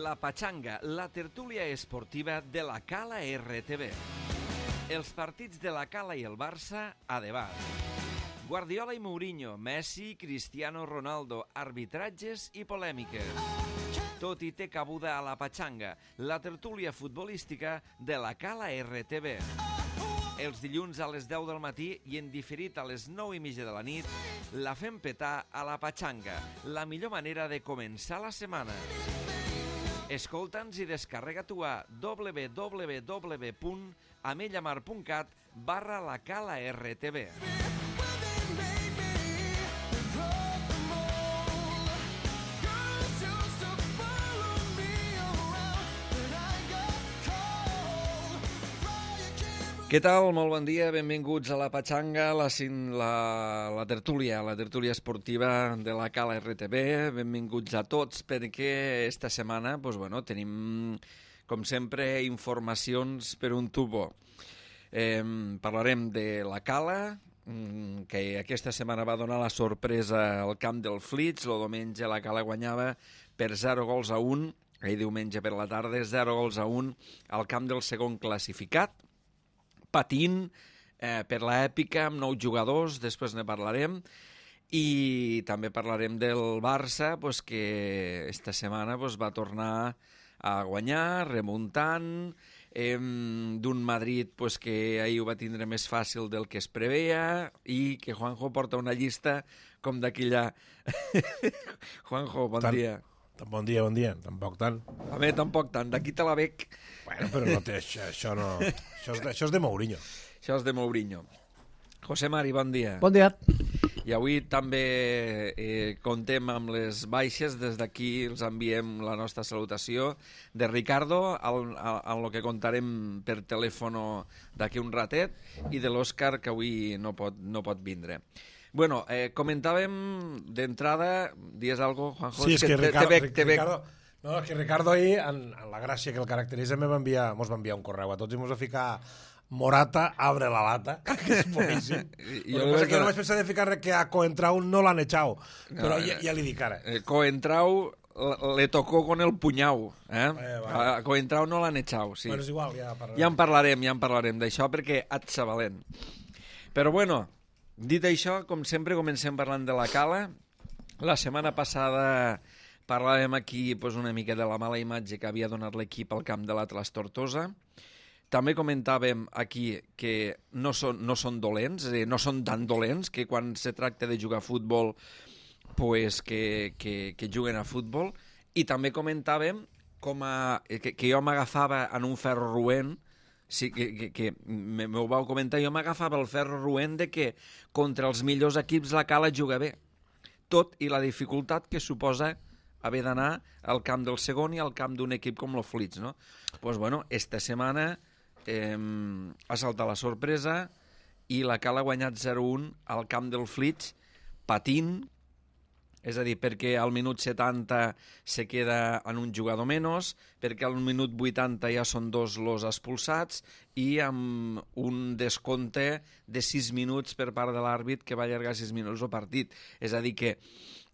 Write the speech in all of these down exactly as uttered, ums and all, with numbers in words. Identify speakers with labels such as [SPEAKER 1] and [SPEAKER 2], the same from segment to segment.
[SPEAKER 1] La Pachanga, la tertúlia esportiva de la Cala R T V. Els partits de la Cala i el Barça a debat. Guardiola i Mourinho, Messi, Cristiano Ronaldo, arbitratges i polèmiques. Tot hi té cabuda a La Pachanga, la tertúlia futbolística de la Cala R T V. Els dilluns a les deu del matí i en diferit a les nou i mitja de la nit, la fem petar a La Pachanga, la millor manera de començar la setmana. Escolta'ns i descarrega-t'ho a w w w punt amellamar punt cat barra la Cala R T V. Què tal? Molt bon dia, benvinguts a La Pachanga, la, la, la tertúlia, la tertúlia esportiva de la Cala R T V. Benvinguts a tots perquè esta setmana pues, bueno, tenim, com sempre, informacions per un tubo. Eh, parlarem de la Cala, que aquesta setmana va donar la sorpresa al camp del Flix. El diumenge la Cala guanyava per zero gols a un, ahir diumenge per la tarda, zero gols a un al camp del segon classificat, patint eh, per l'èpica amb nou jugadors, després ne parlarem, i també parlarem del Barça, pues, que esta setmana pues, va tornar a guanyar, remuntant, eh, d'un Madrid pues, que ahir ho va tindre més fàcil del que es preveia, i que Juanjo porta una llista com d'aquella... Juanjo, bon
[SPEAKER 2] tant,
[SPEAKER 1] dia.
[SPEAKER 2] Bon dia, bon dia, tampoc tant.
[SPEAKER 1] A mi tampoc tant, d'aquí te la bec.
[SPEAKER 2] Bueno, però no té, això, això no... Això és, de, això és de Mourinho.
[SPEAKER 1] Això és de Mourinho. José Mari, bon dia.
[SPEAKER 3] Bon dia.
[SPEAKER 1] I avui també eh, contem amb les baixes. Des d'aquí els enviem la nostra salutació de Ricardo, al, al, al que contarem per telèfon d'aquí un ratet, i de l'Òscar, que avui no pot, no pot vindre. Bueno, eh, comentàvem d'entrada, dies algo, Juanjo?
[SPEAKER 2] Sí, és que, que Ricardo,
[SPEAKER 1] te bec, te bec.
[SPEAKER 2] Ricardo, no, és que Ricardo ahir, en, en la gràcia que el caracteritza, me va enviar, mos va enviar un correu a tots i mos va ficar Morata, abre la lata, que és boníssim. Jo no, que no vaig pensar de ficar que a Coentrao no l'han echado, no, però ja, ja li dic ara.
[SPEAKER 1] Eh, Coentrao le tocó con el punyau, eh? eh vale. A Coentrao no l'han echado, sí.
[SPEAKER 2] Bueno, és igual, ja parlarem.
[SPEAKER 1] Ja en parlarem, ja en parlarem d'això, perquè et sabalent. Però bueno, dit això, com sempre, comencem parlant de la Cala. La setmana passada parlàvem aquí pues, una mica de la mala imatge que havia donat l'equip al camp de l'Atlas Tortosa. També comentàvem aquí que no són, no són dolents, és a dir, no són tan dolents, que quan se tracta de jugar a futbol, pues, que, que, que juguen a futbol. I també comentàvem com a, que, que jo m'agafava en un ferro roent. Sí, que, que, que m'ho vau comentar, jo m'agafava el ferro roent de que contra els millors equips la Cala juga bé, tot i la dificultat que suposa haver d'anar al camp del segon i al camp d'un equip com el Flix, no? Pues bueno, esta setmana eh, ha saltat la sorpresa i la Cala ha guanyat zero a un al camp del Flix, patint, és a dir, perquè al minut setanta se queda en un jugador menys, perquè al minut vuitanta ja són dos los expulsats i amb un descompte de sis minuts per part de l'àrbit que va allargar sis minuts el partit. És a dir que,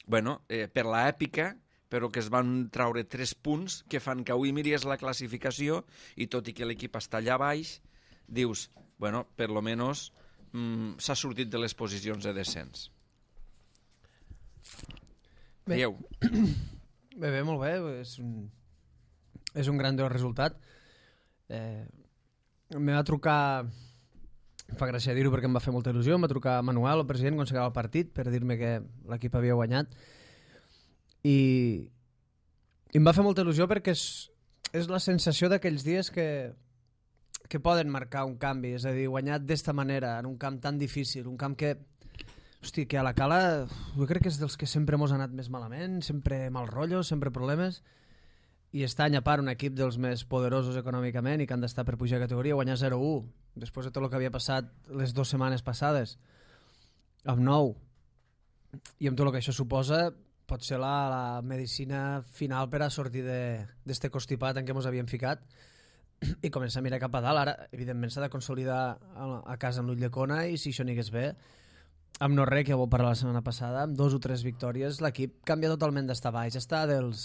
[SPEAKER 1] bueno, eh, per l'èpica, però que es van traure tres punts que fan que avui miris la classificació i tot i que l'equip està allà baix, dius, bueno, per lo menos mm, s'ha sortit de les posicions de descens.
[SPEAKER 3] Bé, bé, bé, molt bé, és un, és un gran resultat. Eh, em va trucar, em fa gràcia dir-ho perquè em va fer molta il·lusió, em va trucar Manuel, el president, quan s'acaba el partit, per dir-me que l'equip havia guanyat, i, i em va fer molta il·lusió perquè és, és la sensació d'aquells dies que, que poden marcar un canvi, és a dir, guanyat d'esta manera, en un camp tan difícil, un camp que... Hosti, que a la Cala jo crec que és dels que sempre mos ha anat més malament, sempre mal rotllo, sempre problemes, i està any a part un equip dels més poderosos econòmicament i que han d'estar per pujar de categoria, guanyar zero a u, després de tot el que havia passat les dues setmanes passades, amb nou, i amb tot el que això suposa, pot ser la, la medicina final per a sortir d'este constipat en què mos havíem ficat i començar a mirar cap a dalt. Ara, evidentment, s'ha de consolidar a, a casa amb l'ull de cona i si això n'hi hagués bé, amb no res, que ho parlar la setmana passada, amb dos o tres victòries, l'equip canvia totalment d'estar baix, està dels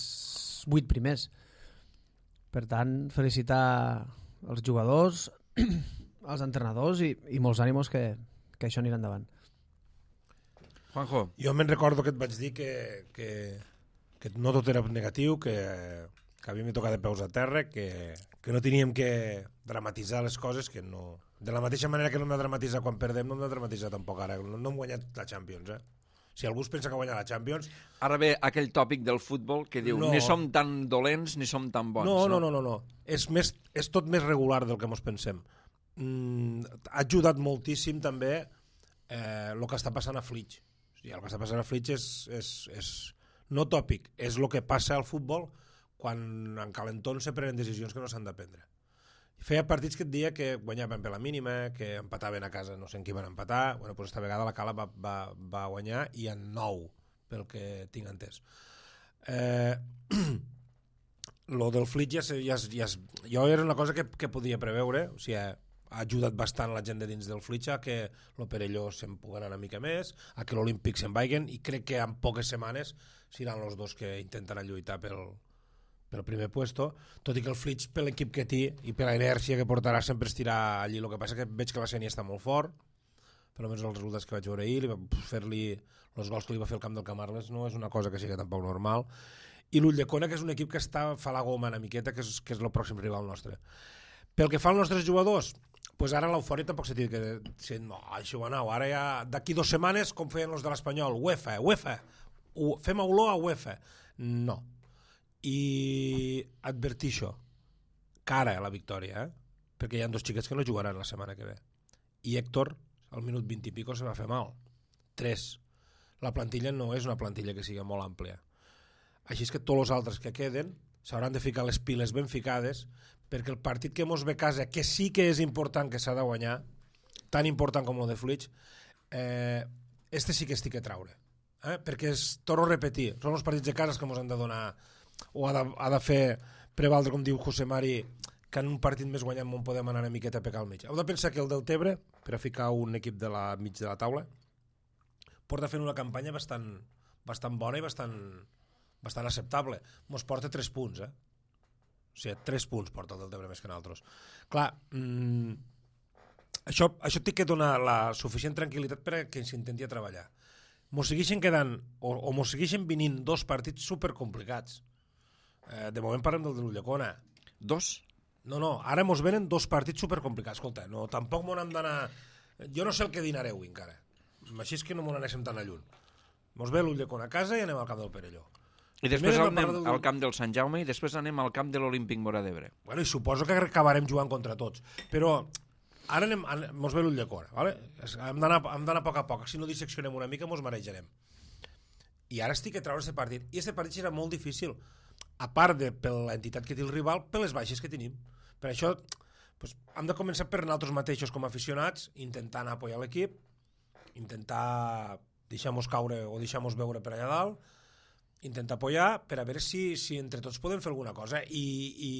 [SPEAKER 3] vuit primers. Per tant, felicitar els jugadors, els entrenadors i, i molts ànimos que, que això anirà endavant.
[SPEAKER 1] Juanjo.
[SPEAKER 2] Jo me'n recordo que et vaig dir que, que, que no tot era negatiu, que, que havíem de tocar de peus a terra, que, que no teníem que dramatitzar les coses, que no... De la mateixa manera que no hem de dramatitzar quan perdem, no hem de dramatitzar tampoc ara. No, no hem guanyat la Champions, eh? Si algú es pensa que ha guanyat la Champions...
[SPEAKER 1] Ara ve aquell tòpic del futbol que diu no. Ni som tan dolents ni som tan bons.
[SPEAKER 2] No, no, no, no. no. És, més, és tot més regular del que ens pensem. Mm, ha ajudat moltíssim també eh, el que està passant a Flix. O sigui, el que està passant a Flix és, és, és no tòpic, és el que passa al futbol quan en calentons se prenen decisions que no s'han de prendre. Feia partits que et dia que guanyaven per la mínima, que empataven a casa, no sé en qui van empatar. Bueno, pues esta vegada la Cala va, va, va guanyar i en nou, pel que tinc entès. Eh, lo del Flix ja, ja, ja, jo era una cosa que, que podia preveure, o sigui, ha ajudat bastant la gent de dins del Flix a que el Perelló se'n pugui anar una mica més, a que l'Olímpic se'n vagin, i crec que en poques setmanes seran els dos que intentaran lluitar pel pel primer puesto, tot i que el Flix per l'equip que té i per la inèrcia que portarà sempre estirà allí. El que passa que veig que la Sénia està molt fort, per almenys els resultats que vaig veure ahir, li va fer-li els gols que li va fer el camp del Camarles no és una cosa que sigui tampoc normal, i l'Ulldecona, que és un equip que està fa la goma una miqueta, que és, que és el pròxim rival nostre. Pel que fa als nostres jugadors, pues ara l'eufòria tampoc s'ha dit que si, no, això va anar, ara ja d'aquí dues setmanes com feien els de l'Espanyol, UEFA, UEFA, fem olor a UEFA. No. I advertir això, cara a la victòria, eh? Perquè hi ha dos xiquets que no jugaran la setmana que ve. I Héctor, al minut vint i pico, se va fer mal. Tres. La plantilla no és una plantilla que sigui molt àmplia. Així és que tots els altres que queden s'hauran de ficar les piles ben ficades, perquè el partit que mos ve a casa, que sí que és important, que s'ha de guanyar, tan important com el de Flix, eh, este sí que estic a traure. Eh? Perquè, es, torno a repetir, són els partits de casa que mos han de donar, o ha de, ha de fer prevaldre, com diu José Mari, que en un partit més guanyant on podem anar una miqueta a pecar al mig. Heu de pensar que el del Tebre, per a ficar un equip de la mig de la taula, porta fent una campanya bastant, bastant bona i bastant, bastant acceptable. Mos porta tres punts, eh? O sigui, tres punts porta el del Tebre més que nosaltres. Clar, mmm, això, això té que donar la suficient tranquil·litat per a que s'intenti a treballar. Mos segueixen quedant, o, o mos segueixen venint dos partits supercomplicats. Eh, de moment parlem del de l'Ulldecona.
[SPEAKER 1] Dos?
[SPEAKER 2] No, no, ara mos venen dos partits supercomplicats. Escolta, no, tampoc m'ho hem d'anar... Jo no sé el que dinareu encara. Així és que no m'ho anéssim tan a lluny. Mos ve l'Ulldecona a casa i anem al camp del Perelló.
[SPEAKER 1] I després anem del... al camp del Sant Jaume i després anem al camp de l'Olímpic Móra d'Ebre.
[SPEAKER 2] Bueno, i suposo que acabarem jugant contra tots. Però ara anem, anem, mos ve l'Ulldecona, ¿vale? Hem d'anar a poc a poc. Si no disseccionem una mica, mos marejarem. I ara estic a treure aquest partit. I aquest partit serà molt difícil, a part de per l'entitat que té el rival, per les baixes que tenim. Per això pues, hem de començar per nosaltres mateixos com a aficionats, intentant apoyar l'equip, intentar deixar-nos caure o deixar-nos veure per allà dalt, intentar apoyar per a veure si, si entre tots podem fer alguna cosa i, i,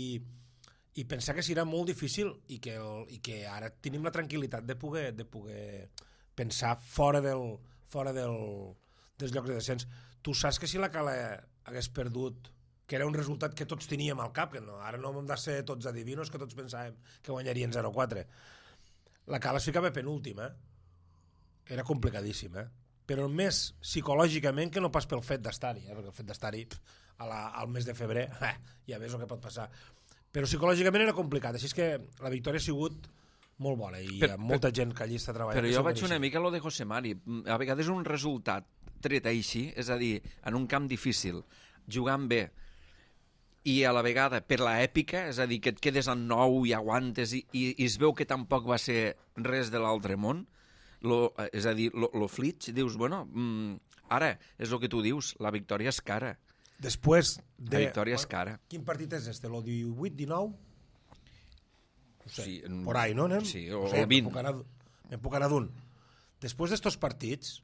[SPEAKER 2] i pensar que serà molt difícil i que, el, i que ara tenim la tranquil·litat de poder, de poder pensar fora del, fora del, dels llocs de descens. Tu saps que si la Cala hagués perdut, que era un resultat que tots teníem al cap, que no, ara no hem de ser tots adivinos, que tots pensàvem que guanyarien zero quatre. La Cala es ficava penúltim, eh? Era complicadíssim, eh? Però més psicològicament que no pas pel fet d'estar-hi, eh? Perquè el fet d'estar-hi al mes de febrer, eh, ja veus el que pot passar. Però psicològicament era complicat, així és que la victòria ha sigut molt bona i hi ha molta gent que allí està treballant.
[SPEAKER 1] Però jo vaig una mica a lo de José Mari. A vegades un resultat tret així, és a dir, en un camp difícil, jugant bé, i a la vegada per l'èpica, és a dir, que et quedes en nou i aguantes i, i, i es veu que tampoc va ser res de l'altre món, lo, és a dir, lo, lo Flix, dius, bueno, mm, ara, és el que tu dius, la victòria és cara.
[SPEAKER 2] Després de...
[SPEAKER 1] La victòria és cara.
[SPEAKER 2] Quin partit és este? Lo divuit dinou? No sé,
[SPEAKER 1] sí,
[SPEAKER 2] por ahí, no? Anem?
[SPEAKER 1] Sí, o,
[SPEAKER 2] no sé,
[SPEAKER 1] o vint.
[SPEAKER 2] Me'n puc anar d'un. Després d'estos partits,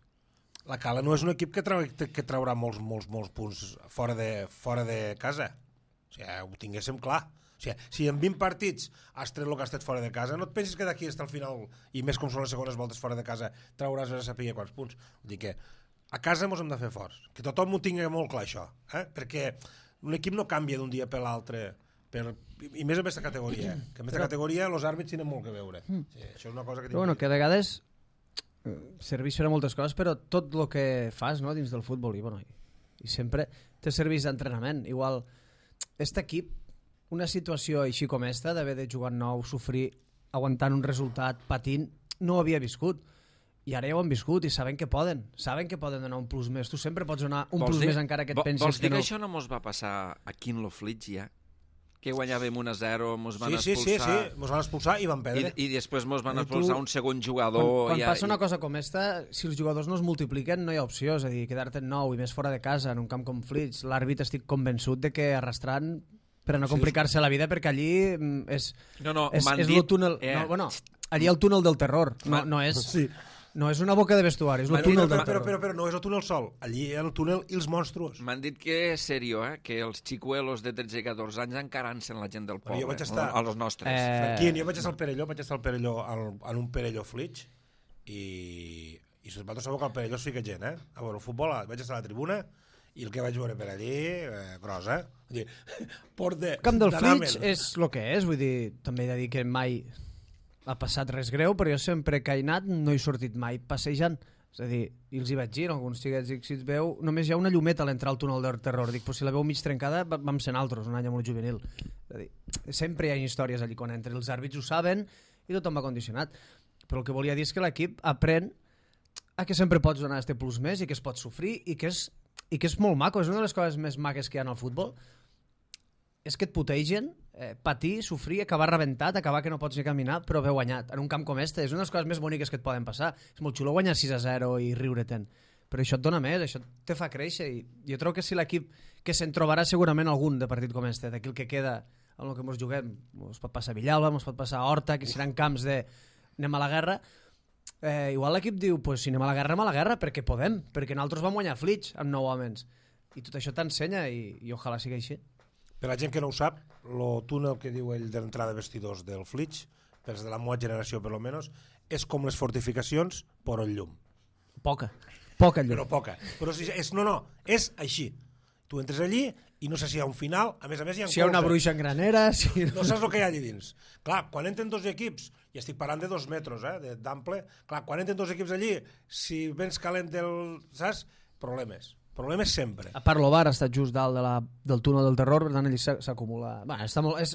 [SPEAKER 2] la Cala no és un equip que, trau, que traurà molts, molts, molts punts fora de, fora de casa. O sigui, ho tinguéssim clar. O sigui, si en vint partits has tret el que has tret fora de casa, no et pensis que d'aquí està al final, i més com són les segones voltes fora de casa, trauràs a saber quants punts. Vull dir que a casa ens hem de fer forts. Que tothom ho tingui molt clar, això. Eh? Perquè un equip no canvia d'un dia per l'altre per, i més en aquesta categoria, que en aquesta categoria els àrbits tenen molt que veure. Sí, això és una cosa que...
[SPEAKER 3] Però bueno, que a vegades serveix per a moltes coses, però tot el que fas, no, dins del futbol, i, bueno, i, i sempre té serveis d'entrenament. Igual, aquest equip, una situació així com esta, d'haver de jugar nou, sofrir, aguantant un resultat, patint, no ho havia viscut. I ara ja ho han viscut i saben que poden. Saben que poden donar un plus més. Tu sempre pots donar un plus dir, més encara que et pensis
[SPEAKER 1] vols dir
[SPEAKER 3] que no.
[SPEAKER 1] Que això no mos va passar aquí en lo Flix ja? Que guanyàvem un a zero, mos van
[SPEAKER 2] sí,
[SPEAKER 1] expulsar...
[SPEAKER 2] Sí, sí, sí, mos van expulsar i van perdre.
[SPEAKER 1] I, i després mos van expulsar tu, un segon jugador...
[SPEAKER 3] Quan, quan
[SPEAKER 1] ja,
[SPEAKER 3] passa una cosa com esta, si els jugadors no es multipliquen, no hi ha opció. És a dir, quedar-te en nou i més fora de casa, en un camp com Flix, l'àrbit estic convençut de que arrastrant per a no complicar-se la vida, perquè allí és,
[SPEAKER 1] no, no,
[SPEAKER 3] és, és
[SPEAKER 1] dit,
[SPEAKER 3] el túnel... Eh... No, bueno, allí el túnel del terror, no, no és... Sí. No és una boca de vestuari, és el túnel del
[SPEAKER 2] terror. Però, però, però no és el túnel sol, allí hi ha el túnel i els monstruos.
[SPEAKER 1] M'han dit que és serio, eh? Que els xicuelos de tretze i catorze anys encara en la gent del poble,
[SPEAKER 2] jo vaig estar...
[SPEAKER 1] a los nostres.
[SPEAKER 2] Eh... Franquín, jo vaig estar al Perelló, vaig estar al Perelló, al, en un Perelló Flix, i, i vosaltres sabeu que al Perelló sí que gent, eh? A veure, el futbol, vaig estar a la tribuna, i el que vaig veure per allí, eh, gros, eh? Dir, port de...
[SPEAKER 3] El camp del Flix és el que és, vull dir, també he de dir que mai ha passat res greu, però jo sempre que he anat no he sortit mai passejant. És a dir, i els hi vaig dir, alguns xiquets, dic, si et veu, només hi ha una llumeta a l'entrar al túnel del terror. Dic, però si la veu mig trencada, vam ser altres, un any amb el juvenil. És a dir, sempre hi ha històries allí quan entra. Els àrbits ho saben i tothom va condicionat. Però el que volia dir és que l'equip aprèn a que sempre pots donar este plus més i que es pot sofrir i que és, i que és molt maco. És una de les coses més maques que hi ha en el futbol. És que et putegen, eh, patir, sofrir, acabar rebentat, acabar que no pots ni caminar, però haver guanyat. En un camp com este és una de les coses més boniques que et poden passar. És molt xulo guanyar sis a zero i riure-te'n. Però això et dona més, això te fa créixer. I jo trobo que si l'equip, que se'n trobarà segurament algun de partit com este, d'aquí el que queda, en el que ens juguem, ens pot passar a Villalba, ens pot passar a Horta, que seran camps de anem a la guerra, eh, igual l'equip diu, pues, si anem a la guerra, anem a la guerra, perquè podem, perquè nosaltres vam guanyar Flix amb nou homes. I tot això t'ensenya i, i ojalà sigui així.
[SPEAKER 2] Per la gent que no ho sap, el túnel que diu ell de l'entrada de vestidors del Flix, pels de la meva generació per lo menos, és com les fortificacions, però en llum.
[SPEAKER 3] Poca, poca llum.
[SPEAKER 2] Però poca. Però si és, no, no, és així. Tu entres allí i no sé si hi ha un final, a més a més hi ha...
[SPEAKER 3] Si hi ha una bruixa en granera... Si...
[SPEAKER 2] No saps el que hi ha allà dins. Clar, quan entren dos equips, i estic parlant de dos metres, eh, d'ample, clar, quan entren dos equips allí, si vens calent del... saps? Problemes. Problemes sempre.
[SPEAKER 3] A part, l'Ovar ha estat just dalt de la, del túnel del terror, per tant, allí s'acumula... Bueno, està, molt, és,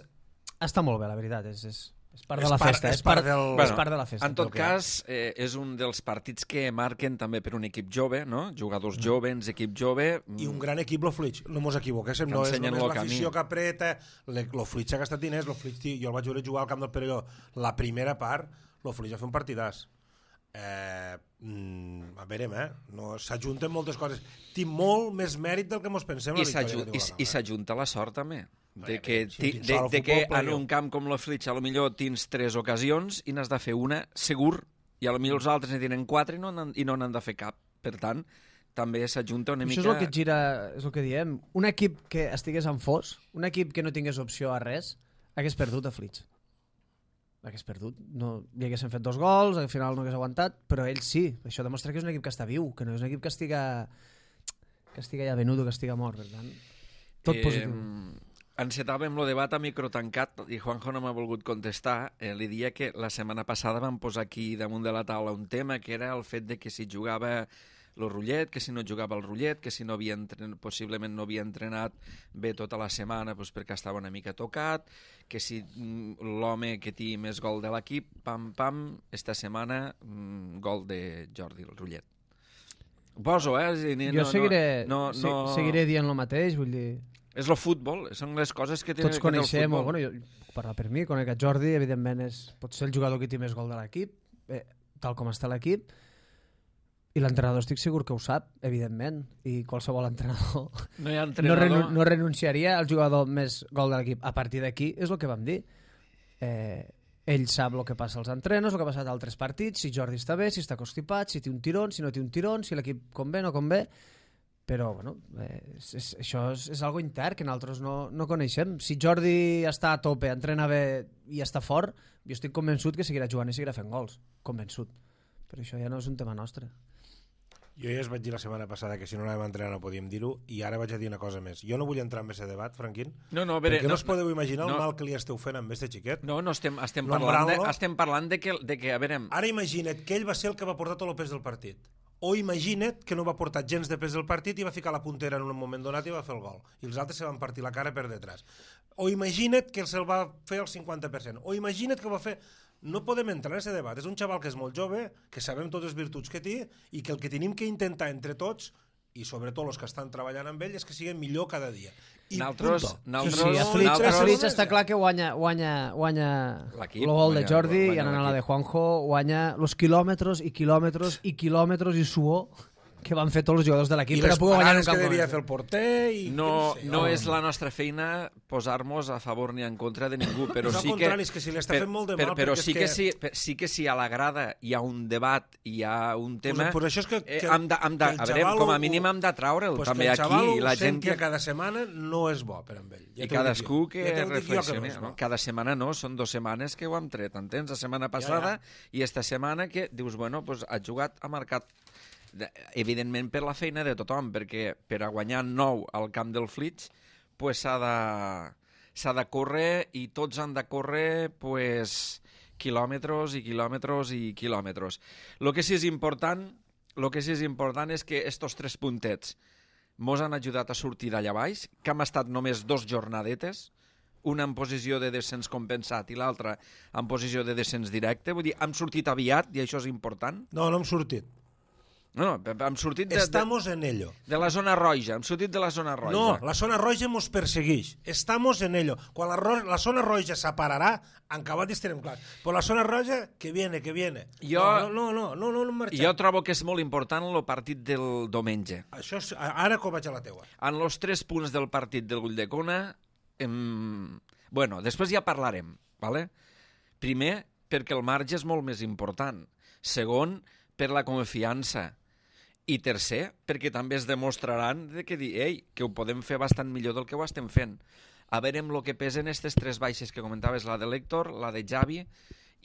[SPEAKER 3] està molt bé, la veritat. És, és, és part és de la part, festa. És part,
[SPEAKER 2] del...
[SPEAKER 3] bueno, és part de la festa.
[SPEAKER 1] En tot cas, eh, és un dels partits que marquen també per un equip jove, no? Jugadors mm. joves, equip jove...
[SPEAKER 2] I un gran equip, lo Flix. No mos equivoquéssim. No és només l'afició que apreta. Lo Flix ha gastat diners. Lo Flix, jo el vaig veure jugar al camp del Perelló. La primera part, lo Flix va fer un partidàs. Eh, mm, a veure, eh? No, s'ajunten moltes coses. Tinc molt més mèrit del que mos pensem.
[SPEAKER 1] I s'ajunta la sort també de que, ti, de, de que en un camp com la Flix a lo millor tens tres ocasions i n'has de fer una segur i a lo millor els altres ne tenen quatre i no n'han, i no n'han de fer cap. Per tant, també s'ajunta una mica...
[SPEAKER 3] Això és el que gira, és el que diem. Un equip que estigués en fos, un equip que no tingués opció a res, hagués perdut a Flix. Hagués perdut. No, li haguessin fet dos gols, al final no hagués aguantat, però ell sí. Això demostra que és un equip que està viu, que no és un equip que estiga, que estiga ja venut o que estiga mort. Per tant, tot eh, positiu.
[SPEAKER 1] Encetàvem el debat a micro tancat i Juanjo no m'ha volgut contestar. Eh, li dia que la setmana passada vam posar aquí damunt de la taula un tema que era el fet de que si jugava el Rullet, que si no jugava el Rullet, que si no havia entrenat, possiblement no havia entrenat bé tota la setmana doncs perquè estava una mica tocat, que si l'home que té més gol de l'equip, pam, pam, esta setmana gol de Jordi, el Rullet. Ho poso, eh? No,
[SPEAKER 3] jo seguiré,
[SPEAKER 1] no, no, no...
[SPEAKER 3] seguiré dient el mateix, vull dir...
[SPEAKER 1] És el futbol, són les coses que tenen
[SPEAKER 3] tots coneixem, o, bueno, jo, parlar per mi, conec a Jordi, evidentment és, pot ser el jugador que té més gol de l'equip, eh, tal com està l'equip, i l'entrenador estic segur que ho sap, evidentment, i qualsevol entrenador
[SPEAKER 1] no, hi ha entrenador...
[SPEAKER 3] no, renu no renunciaria al jugador més gol de l'equip. A partir d'aquí és el que vam dir. Eh, ell sap el que passa als entrenos, el que ha passat a altres partits, si Jordi està bé, si està constipat, si té un tirón, si no té un tirón, si l'equip convé, no convé, però bueno, eh, és, és, això és, és algo intern que nosaltres no, no coneixem. Si Jordi està a tope, entrena bé i està fort, jo estic convençut que seguirà jugant i seguirà fent gols, convençut. Però això ja no és un tema nostre.
[SPEAKER 2] Jo ja es vaig dir la setmana passada que si no anàvem a entrenar no podíem dir-ho, i ara vaig a dir una cosa més. Jo no vull entrar en aquest debat, Franquín,
[SPEAKER 1] no, no, veure,
[SPEAKER 2] perquè no,
[SPEAKER 1] no us
[SPEAKER 2] podeu imaginar
[SPEAKER 1] no,
[SPEAKER 2] el mal que li esteu fent amb este xiquet.
[SPEAKER 1] No, no, estem, estem, parlant, de, estem parlant de que, de que, a veure...
[SPEAKER 2] Ara imagina't que ell va ser el que va portar tot el pes del partit. O imagina't que no va portar gens de pes del partit i va ficar la puntera en un moment donat i va fer el gol. I els altres se van partir la cara per detrás. O imagina't que se'l va fer el cinquanta per cent. O imagina't que va fer... No podem entrar en aquest debat. És un xaval que és molt jove, que sabem totes les virtuts que té i que el que tenim que intentar entre tots, i sobretot els que estan treballant amb ell, és que siguin millor cada dia. I
[SPEAKER 1] naltros,
[SPEAKER 2] punto.
[SPEAKER 1] naltros,
[SPEAKER 3] Sí, sí, a Flitz, a Flitz està clar que guanya, guanya, guanya el gol de Jordi i anant a la de Juanjo guanya els quilòmetres i quilòmetres i quilòmetres i suor que van fer tots els jugadors de l'equip per a poder guanyar un
[SPEAKER 2] que devia
[SPEAKER 3] campionat.
[SPEAKER 2] fer el porter i...
[SPEAKER 1] No,
[SPEAKER 2] sé,
[SPEAKER 1] no
[SPEAKER 2] home.
[SPEAKER 1] és la nostra feina posar-nos a favor ni en contra de ningú, però
[SPEAKER 2] És al
[SPEAKER 1] sí que...
[SPEAKER 2] contrari, és que si li està
[SPEAKER 1] per-
[SPEAKER 2] fent molt de
[SPEAKER 1] per-
[SPEAKER 2] mal,
[SPEAKER 1] Però
[SPEAKER 2] perquè és
[SPEAKER 1] sí que,
[SPEAKER 2] que-
[SPEAKER 1] sí, per- sí que si a la grada hi ha un debat, hi ha un tema...
[SPEAKER 2] Pues, pues això és que,
[SPEAKER 1] eh,
[SPEAKER 2] que,
[SPEAKER 1] hem de, hem de,
[SPEAKER 2] que el
[SPEAKER 1] a veure,
[SPEAKER 2] xaval
[SPEAKER 1] com a
[SPEAKER 2] ho-
[SPEAKER 1] mínim hem de traure'l
[SPEAKER 2] pues
[SPEAKER 1] també
[SPEAKER 2] que el
[SPEAKER 1] aquí.
[SPEAKER 2] xaval
[SPEAKER 1] I la
[SPEAKER 2] ho
[SPEAKER 1] gent
[SPEAKER 2] senti
[SPEAKER 1] que...
[SPEAKER 2] cada setmana no és bo per amb ell. Ja
[SPEAKER 1] I
[SPEAKER 2] t'ho
[SPEAKER 1] cadascú
[SPEAKER 2] dic jo.
[SPEAKER 1] que
[SPEAKER 2] Ja t'ho dic jo
[SPEAKER 1] reflexioni.
[SPEAKER 2] no és
[SPEAKER 1] No?
[SPEAKER 2] bo.
[SPEAKER 1] Cada setmana no, són dues setmanes que ho hem tret, entens? La setmana passada
[SPEAKER 2] Ja, ja.
[SPEAKER 1] i esta setmana que dius, bueno, pues ha jugat, ha marcat de- evidentment per la feina de tothom, perquè per a guanyar nou al camp del Flitz pues s'ha de, s'ha de córrer i tots han de córrer pues, quilòmetres i quilòmetres i quilòmetres. Lo que sí és important, lo que sí és important és que estos tres puntets mos han ajudat a sortir d'allà baix, que hem estat només dos jornadetes, una en posició de descens compensat i l'altra en posició de descens directe. Vull dir, hem sortit aviat i això és important.
[SPEAKER 2] No, no hem sortit.
[SPEAKER 1] No, no, hem sortit de, de,
[SPEAKER 2] Estamos en ello.
[SPEAKER 1] de la zona roja, hem sortit de la zona roja.
[SPEAKER 2] No, la zona roja mos persegueix. Estamos en ello. Quan la, ro la zona roja s'apararà, en acabat estarem clars. Però la zona roja, que viene, que viene.
[SPEAKER 1] Jo-
[SPEAKER 2] No, no, no, no, no, no marxem.
[SPEAKER 1] Jo trobo que és molt important el partit del diumenge.
[SPEAKER 2] Això és, ara com vaig a la teua.
[SPEAKER 1] En els tres punts del partit del Ulldecona, em... bueno, després ja parlarem, ¿vale? Primer, perquè el marge és molt més important. Segon, per la confiança. I tercer, perquè també es demostraran de que dir, ei, que ho podem fer bastant millor del que ho estem fent. A veure amb el que pesen aquestes tres baixes que comentaves, la de l'Héctor, la de Javi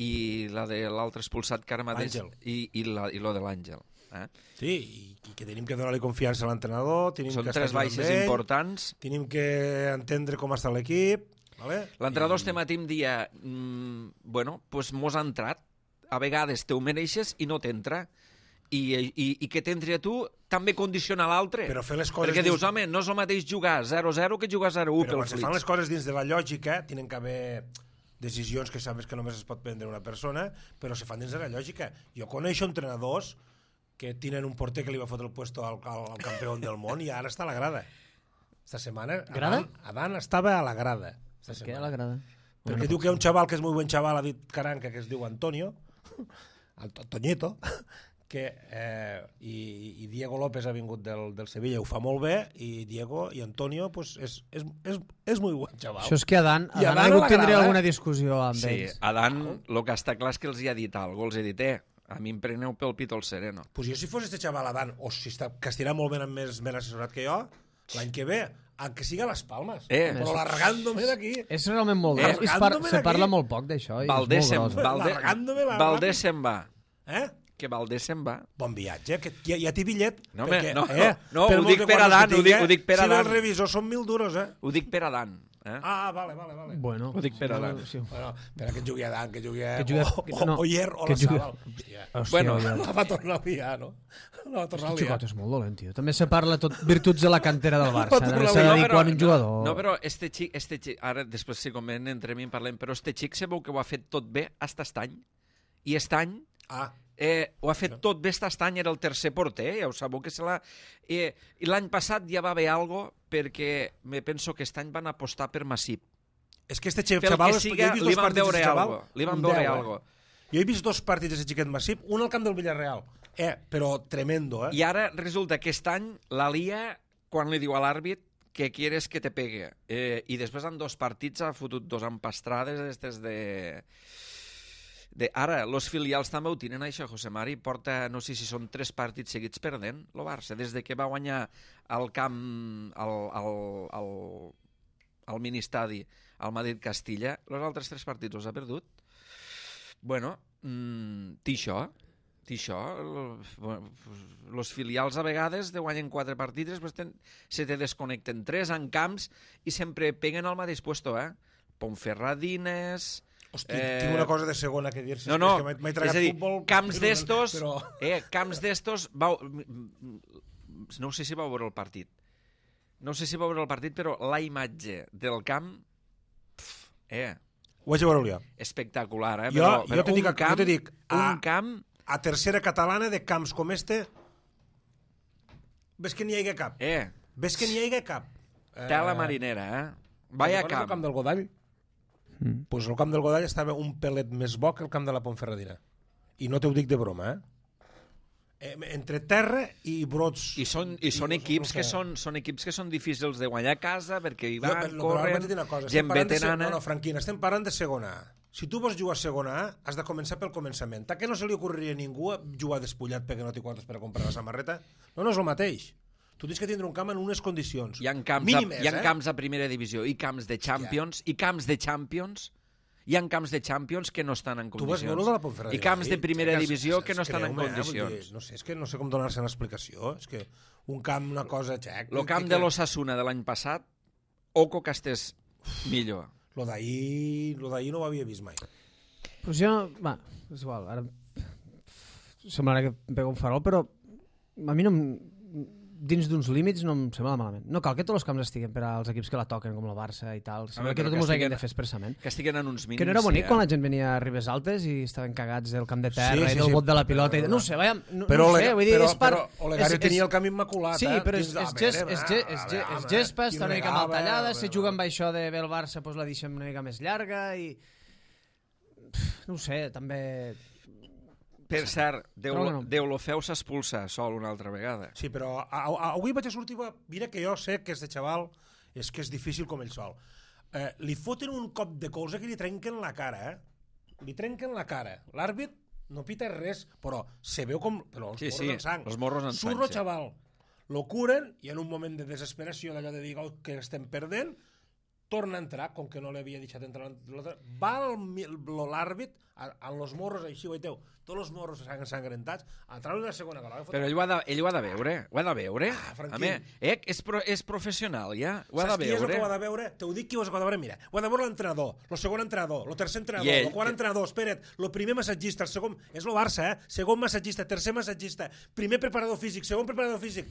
[SPEAKER 1] i la de l'altre expulsat que ara mateix...
[SPEAKER 2] Àngel.
[SPEAKER 1] I, i, la, i lo de l'Àngel. Eh?
[SPEAKER 2] Sí, i, i que tenim que donar-li confiança a l'entrenador, tenim
[SPEAKER 1] Són
[SPEAKER 2] que
[SPEAKER 1] tres
[SPEAKER 2] estar
[SPEAKER 1] baixes
[SPEAKER 2] amb ell,
[SPEAKER 1] importants.
[SPEAKER 2] tenim que entendre com està l'equip, vale?
[SPEAKER 1] L'entrenador
[SPEAKER 2] I-
[SPEAKER 1] este matí em dia, mm, bueno, pues mos ha entrat, a vegades te ho mereixes i no t'entra, i, i, i que t'entri a tu també condiciona l'altre.
[SPEAKER 2] Però fer les coses
[SPEAKER 1] Perquè
[SPEAKER 2] dins-
[SPEAKER 1] dius, home, no és el mateix jugar zero zero que jugar zero u
[SPEAKER 2] Però
[SPEAKER 1] pel
[SPEAKER 2] quan se fan les
[SPEAKER 1] Flitz.
[SPEAKER 2] coses dins de la lògica, tenen que haver decisions que sabes que només es pot prendre una persona, però se fan dins de la lògica. Jo coneixo entrenadors que tenen un porter que li va fotre el puesto al, al, al campió del món i ara està a la grada. Esta setmana
[SPEAKER 3] Grada?
[SPEAKER 2] Adán, Adán estava a la grada. Esta
[SPEAKER 3] Què
[SPEAKER 2] setmana.
[SPEAKER 3] la grada?
[SPEAKER 2] Perquè diu que hi ha un xaval que és molt bon xaval, ha dit Caranca, que es diu Antonio, Anto- Toñito, que, eh, i, i Diego López ha vingut del, del Sevilla, ho fa molt bé, i Diego i Antonio pues, és, és, és, és molt bon xaval.
[SPEAKER 3] Això és que Adán,
[SPEAKER 2] I
[SPEAKER 3] Adán
[SPEAKER 2] Adán
[SPEAKER 3] ha hagut
[SPEAKER 2] a la
[SPEAKER 3] tindre
[SPEAKER 2] grada,
[SPEAKER 3] alguna
[SPEAKER 2] eh?
[SPEAKER 3] discussió amb
[SPEAKER 1] Sí,
[SPEAKER 3] ells.
[SPEAKER 1] Adán, el que està clar és que els hi ha dit alguna cosa, els he dit, eh, a mi em preneu pel pit el sereno.
[SPEAKER 2] Pues jo si fos este xaval Adán, o si està, que estirà molt ben, més ben assessorat que jo, l'any que ve, aunque siga a les Palmes,
[SPEAKER 1] Eh.
[SPEAKER 2] però largándome d'aquí.
[SPEAKER 3] És realment molt
[SPEAKER 1] Eh,
[SPEAKER 3] gros. I es, par
[SPEAKER 2] largándome
[SPEAKER 3] se
[SPEAKER 2] d'aquí.
[SPEAKER 3] parla molt poc d'això. i és
[SPEAKER 1] Valdés se'n
[SPEAKER 3] molt gros.
[SPEAKER 1] Valde,
[SPEAKER 2] Largándome la-
[SPEAKER 1] Valdés se'n va.
[SPEAKER 2] Eh?
[SPEAKER 1] Que Valdés se'n va.
[SPEAKER 2] Bon viatge, que ja, ja té bitllet.
[SPEAKER 1] No, home,
[SPEAKER 2] perquè,
[SPEAKER 1] no,
[SPEAKER 2] eh,
[SPEAKER 1] no,
[SPEAKER 2] per
[SPEAKER 1] ho
[SPEAKER 2] molts
[SPEAKER 1] dic
[SPEAKER 2] de
[SPEAKER 1] per
[SPEAKER 2] guardes
[SPEAKER 1] Adán,
[SPEAKER 2] que
[SPEAKER 1] ho dic-
[SPEAKER 2] tingui,
[SPEAKER 1] ho dic per
[SPEAKER 2] si
[SPEAKER 1] Adán.
[SPEAKER 2] els revisors són mil duros, eh?
[SPEAKER 1] Ho dic per Adán. Eh?
[SPEAKER 2] Ah, vale, vale, vale.
[SPEAKER 3] Bueno,
[SPEAKER 1] Ho dic per
[SPEAKER 3] sí,
[SPEAKER 1] Adán.
[SPEAKER 3] sí.
[SPEAKER 2] Bueno, espera que jugui Adán, que jugui,
[SPEAKER 3] Que jugui-
[SPEAKER 2] o, o,
[SPEAKER 3] no,
[SPEAKER 2] o Oyer o
[SPEAKER 3] que
[SPEAKER 2] la
[SPEAKER 3] jugui-
[SPEAKER 2] Sala. Hòstia,
[SPEAKER 3] Hòstia,
[SPEAKER 1] Bueno,
[SPEAKER 3] ja.
[SPEAKER 2] la va tornar a liar, no? La va tornar a
[SPEAKER 3] Aquest
[SPEAKER 2] liar.
[SPEAKER 3] xicot és molt dolent, tio. També se parla tot virtuts de la cantera del Barça.
[SPEAKER 2] tornar
[SPEAKER 3] S'ha
[SPEAKER 2] a
[SPEAKER 3] de
[SPEAKER 2] liar.
[SPEAKER 3] dir quan un jugador...
[SPEAKER 1] No, però este xic, este xic, ara després si conven entrem i en parlem, però este xic sabeu que ho ha fet tot bé hasta aquest any. I aquest any
[SPEAKER 2] Ah,
[SPEAKER 1] eh, ho ha fet tot bé aquest any, era el tercer porter, ja ho sabeu que se l'ha... Eh, I l'any passat ja va haver algo perquè me penso que aquest any van apostar per Massip.
[SPEAKER 2] és que este
[SPEAKER 1] Pel
[SPEAKER 2] xaval...
[SPEAKER 1] que
[SPEAKER 2] jo
[SPEAKER 1] siga,
[SPEAKER 2] he vist
[SPEAKER 1] li
[SPEAKER 2] dos
[SPEAKER 1] van
[SPEAKER 2] partits
[SPEAKER 1] veure
[SPEAKER 2] d'aquest xaval,
[SPEAKER 1] algo. Li van
[SPEAKER 2] un
[SPEAKER 1] veure
[SPEAKER 2] deu, eh?
[SPEAKER 1] algo.
[SPEAKER 2] Jo he vist dos partits d'aquest xiquet Massip, un al camp del Villarreal, eh, però tremendo, eh?
[SPEAKER 1] I ara resulta que aquest any la lia quan li diu a l'àrbit que quieres que te pegue. Eh, I després en dos partits ha fotut dos empastrades estes de... de... Ara, los filials també ho tenen, això. José Mari porta, no sé si són tres partits seguits perdent, el Barça, des de que va guanyar al camp, al, al, al, al ministadi, al Madrid-Castilla, els altres tres partits els ha perdut. Bueno, mm, té això. I això, els filials a vegades te guanyen quatre partits, després te, se te desconnecten tres en camps i sempre peguen al mateix puesto, eh? Ponferradines...
[SPEAKER 2] Hosti, eh... tinc una cosa de segona que dir, si
[SPEAKER 1] no, no,
[SPEAKER 2] és que m'he tragat
[SPEAKER 1] dir,
[SPEAKER 2] futbol...
[SPEAKER 1] camps d'estos,
[SPEAKER 2] però...
[SPEAKER 1] eh, camps d'estos, vau... no sé si vau veure el partit, no sé si vau veure el partit, però la imatge del camp, pf, eh...
[SPEAKER 2] Ho vaig a veure jo.
[SPEAKER 1] Espectacular, eh?
[SPEAKER 2] Jo,
[SPEAKER 1] però,
[SPEAKER 2] jo
[SPEAKER 1] però
[SPEAKER 2] te dic,
[SPEAKER 1] un camp,
[SPEAKER 2] jo te dic a,
[SPEAKER 1] un camp...
[SPEAKER 2] a tercera catalana de camps com este, ves que n'hi hagi cap.
[SPEAKER 1] Eh.
[SPEAKER 2] Ves que n'hi hagi cap.
[SPEAKER 1] Tela marinera, eh? Vaya camp.
[SPEAKER 2] El camp del Godall? Mm. Pues el camp del Godall estava un pelet més bo que el camp de la Ponferradina. I no t'ho dic de broma, eh? eh entre terra i brots...
[SPEAKER 1] I són, i són
[SPEAKER 2] i,
[SPEAKER 1] equips
[SPEAKER 2] no sé.
[SPEAKER 1] que són, són equips que són difícils de guanyar a casa perquè hi van,
[SPEAKER 2] no,
[SPEAKER 1] corren,
[SPEAKER 2] cosa,
[SPEAKER 1] gent veterana...
[SPEAKER 2] No, no, Franquina, estem parlant de segona A. Si tu vols jugar a segona A, has de començar pel començament. Ta que no se li ocorreria a ningú jugar despullat perquè no té quantes per a comprar la samarreta? No, no és el mateix. Tu tens que tindre un camp en unes condicions
[SPEAKER 1] hi ha camps,
[SPEAKER 2] mínimes,
[SPEAKER 1] a, hi ha
[SPEAKER 2] eh?
[SPEAKER 1] camps a primera divisió i camps de Champions, i camps de Champions, hi ha camps de Champions que no estan en condicions.
[SPEAKER 2] Tu vas veure de la Ponferradina?
[SPEAKER 1] I camps de primera
[SPEAKER 2] eh?
[SPEAKER 1] divisió
[SPEAKER 2] es, es,
[SPEAKER 1] que no estan en
[SPEAKER 2] dir,
[SPEAKER 1] condicions.
[SPEAKER 2] no sé, és que no sé com donar-se una explicació. És que un camp, una cosa... Xec,
[SPEAKER 1] el camp
[SPEAKER 2] que...
[SPEAKER 1] de l'Osasuna de l'any passat, oco que estés millor.
[SPEAKER 2] Lo d'ahir lo d'ahir no ho havia vist mai.
[SPEAKER 3] Pues jo, va, és igual, ara semblarà que em pego un farol, però a mi no em, dins d'uns límits no em sembla malament. No cal que tots els camps estiguen per als equips que la toquen, com el Barça i tal. Sembla que tot mos hagin de fer expressament.
[SPEAKER 1] Que estiguen en uns mínims.
[SPEAKER 3] Que no era bonic
[SPEAKER 1] sí, eh?
[SPEAKER 3] quan la gent venia a Ribes Altes i estaven cagats del camp de terra
[SPEAKER 2] sí, sí,
[SPEAKER 3] i del
[SPEAKER 2] sí,
[SPEAKER 3] bot de la pilota.
[SPEAKER 2] però,
[SPEAKER 3] i... No sé, veia, no,
[SPEAKER 2] però
[SPEAKER 3] no sé, vull dir,
[SPEAKER 2] però,
[SPEAKER 3] és part...
[SPEAKER 2] Però Olegario tenia el camp immaculat,
[SPEAKER 3] sí,
[SPEAKER 2] eh?
[SPEAKER 3] però és, és, ges, és, ge, és, ge, és gespa, està una mica mal tallada, si juga amb això de el Barça doncs la deixem una mica més llarga i... No ho sé, també...
[SPEAKER 1] Per cert, Deulofeu s'expulsa sol una altra vegada.
[SPEAKER 2] Sí, però a, a, avui vaig a sortir... Mira que jo sé que este xaval és que és difícil com ell sol. Eh, li foten un cop de colze que li trenquen la cara, eh? Li trenquen la cara. L'àrbit no pita res, però se veu com... Però els
[SPEAKER 1] sí,
[SPEAKER 2] morros
[SPEAKER 1] sí,
[SPEAKER 2] en sang.
[SPEAKER 1] Els morros en sang.
[SPEAKER 2] Surro, xaval. Lo curen i en un moment de desesperació d'allò de dir oh, que estem perdent, torna a entrar, com que no l'havia deixat entrar va l'àrbit amb els morros així, veiteu, tots els morros ensangrentats, a treure la segona gola.
[SPEAKER 1] Però ell ho ha de, ell ho ha de veure, ho ha de veure.
[SPEAKER 2] Ah,
[SPEAKER 1] a mi, eh, és, pro, és professional, ja, ho ha de veure.
[SPEAKER 2] Saps qui és el que ho ha de veure? T'ho dic qui ho ha de veure, mira, ho ha de veure l'entrenador, el segon entrenador, el tercer entrenador, el quart entrenador, espera't, el primer massatgista, el segon, és el Barça, eh? Segon massatgista, tercer massatgista, primer preparador físic, segon preparador físic.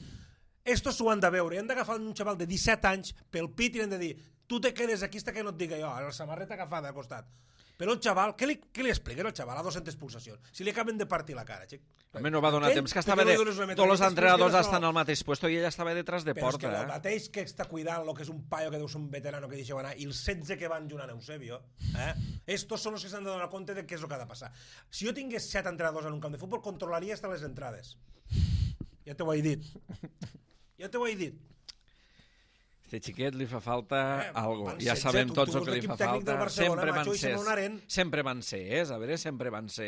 [SPEAKER 2] Estos s'ho han de veure, han d'agafar un xaval de disset anys pel pit i han de dir tu te quedes aquí hasta que no et diga jo, la samarreta agafada a costat. Però el xaval, què li, què li expliquen al xaval a dos-centes pulsacions? Si li acaben de partir la cara, xic.
[SPEAKER 1] Home, no va donar temps, que estava de... Tots els entrenadors estan al mateix puesto i ella estava detrás de porta.
[SPEAKER 2] Però és que el
[SPEAKER 1] eh?
[SPEAKER 2] mateix que està cuidant el que és un paio que deu ser un veterano que deixeu anar i els setze que van junt a Eusebio, eh? Estos són els que s'han de donar compte de què és el que ha de passar. Si jo tingués set entrenadors en un camp de futbol, controlaria hasta les entrades. Ja t'ho he dit. Ja t'ho he dit.
[SPEAKER 1] Este xiquet li fa falta eh, algo. Ja
[SPEAKER 2] setze,
[SPEAKER 1] sabem
[SPEAKER 2] tu,
[SPEAKER 1] tots
[SPEAKER 2] tu
[SPEAKER 1] el que li fa falta. Sempre van ser. Sempre van ser, és, a veure, sempre van ser.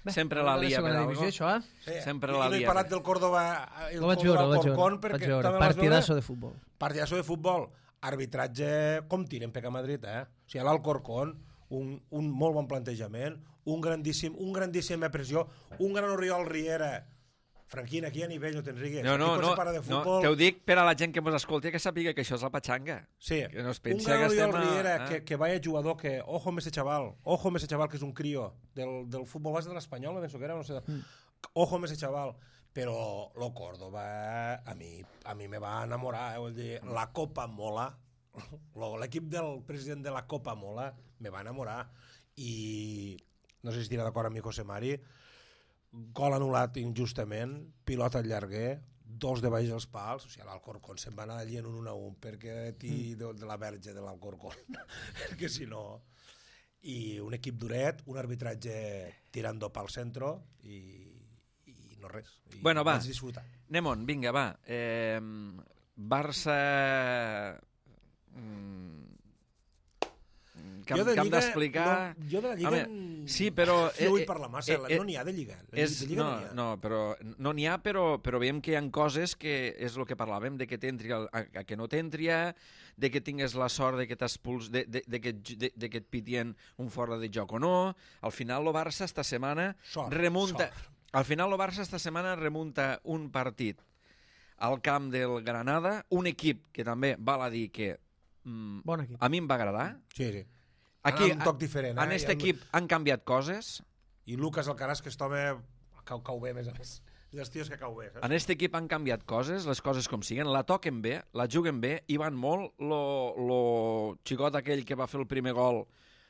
[SPEAKER 1] Sempre la lia per algo.
[SPEAKER 3] Això, eh?
[SPEAKER 2] Sí,
[SPEAKER 1] sempre la lia.
[SPEAKER 2] I no he parlat del Córdoba, el
[SPEAKER 3] lo vaig
[SPEAKER 2] Córdoba
[SPEAKER 3] veure,
[SPEAKER 2] Corcón,
[SPEAKER 3] perquè veure. Partidazo de futbol.
[SPEAKER 2] Partidazo de futbol. Arbitratge com tiren P K Madrid, eh? O sigui, l'Alcorcón, un, un molt bon plantejament, un grandíssim, un grandíssim pressió, un gran Oriol Riera. Franquina, aquí a nivell no te'n rigues.
[SPEAKER 1] No, no, no,
[SPEAKER 2] no
[SPEAKER 1] te ho dic per a la gent que mos escolti que sàpiga que això és la patxanga.
[SPEAKER 2] Sí,
[SPEAKER 1] que no es
[SPEAKER 2] un gran Oriol Riera, a... que, que vaya jugador, que ojo amb ese chaval, ojo amb ese chaval que és un crio del, del futbol base de l'Espanyol, no penso que era, no sé, mm. ojo amb ese chaval, però lo Córdoba a mi, a mi me va enamorar, eh? Vull dir, la Copa mola, l'equip del president de la Copa mola, me va enamorar, i no sé si estirà d'acord amb mi José Mari, gol anul·lat injustament, pilota al llarguer, dos de baix dels pals, o sigui, l'Alcorcón se'n va anar allí en un un a un perquè ti de, de la verge de l'Alcorcón, perquè si no... I un equip duret, un arbitratge tirando pel centre i, i no res. I
[SPEAKER 1] bueno, va,
[SPEAKER 2] vaig disfrutar.
[SPEAKER 1] anem-on, vinga, va. Eh, Barça... Mm, que, que hem d'explicar...
[SPEAKER 2] No, jo de la Lliga...
[SPEAKER 1] Home, sí, però...
[SPEAKER 2] No vull parlar massa, eh, eh, no n'hi ha de Lliga.
[SPEAKER 1] És,
[SPEAKER 2] de Lliga
[SPEAKER 1] no,
[SPEAKER 2] no n'hi ha.
[SPEAKER 1] No, però, no n'hi ha, però, però veiem que hi ha coses que és el que parlàvem, de que t'entri a, a que no t'entri, de que tingues la sort de que t'expuls, de, de, de, que, de, de que et pitien un fora de joc o no. Al final, el Barça esta setmana
[SPEAKER 2] sort,
[SPEAKER 1] remunta...
[SPEAKER 2] Sort.
[SPEAKER 1] al final el Barça esta setmana remunta un partit al camp del Granada, un equip que també val a dir que mm,
[SPEAKER 3] bon equip.
[SPEAKER 1] A mi em va agradar.
[SPEAKER 2] Sí, sí.
[SPEAKER 1] Aquí,
[SPEAKER 2] un toc diferent.
[SPEAKER 1] En aquest
[SPEAKER 2] eh?
[SPEAKER 1] equip han canviat coses.
[SPEAKER 2] I Lucas Alcaraz, que aquest home cau, cau bé, més a més. Els tios que cau bé. Saps?
[SPEAKER 1] En aquest equip han canviat coses, les coses com siguen, la toquen bé, la juguen bé, i van molt. Lo, lo xicot aquell que va fer el primer gol,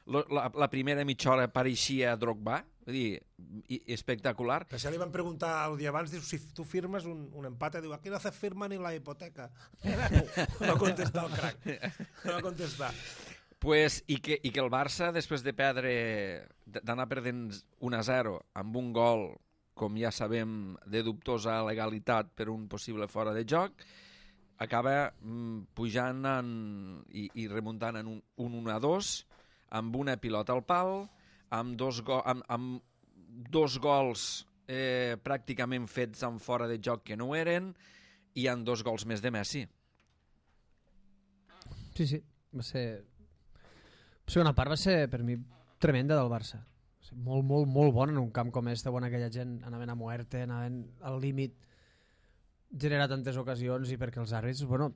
[SPEAKER 1] lo, la, la primera mitja hora pareixia Drogba, vull dir, i, espectacular.
[SPEAKER 2] Que si li van preguntar el dia abans, diu, si tu firmes un, un empate, diu, aquí no hace firma ni la hipoteca. No va contestar el crac. No va contestar.
[SPEAKER 1] Pues, i, que, I que el Barça, després de perdre, d'anar perdent un a zero amb un gol, com ja sabem, de dubtosa legalitat per un possible fora de joc, acaba mm, pujant en, i, i remuntant en un, un un a dos, amb una pilota al pal, amb dos, go amb, amb dos gols eh, pràcticament fets en fora de joc que no ho eren, i amb dos gols més de Messi.
[SPEAKER 3] Sí, sí, va ser... La segona part va ser, per mi, tremenda del Barça. Molt, molt, molt bona en un camp com este, on aquella gent anaven a muerte, anaven al límit, generar tantes ocasions, i perquè els àrbits, bueno,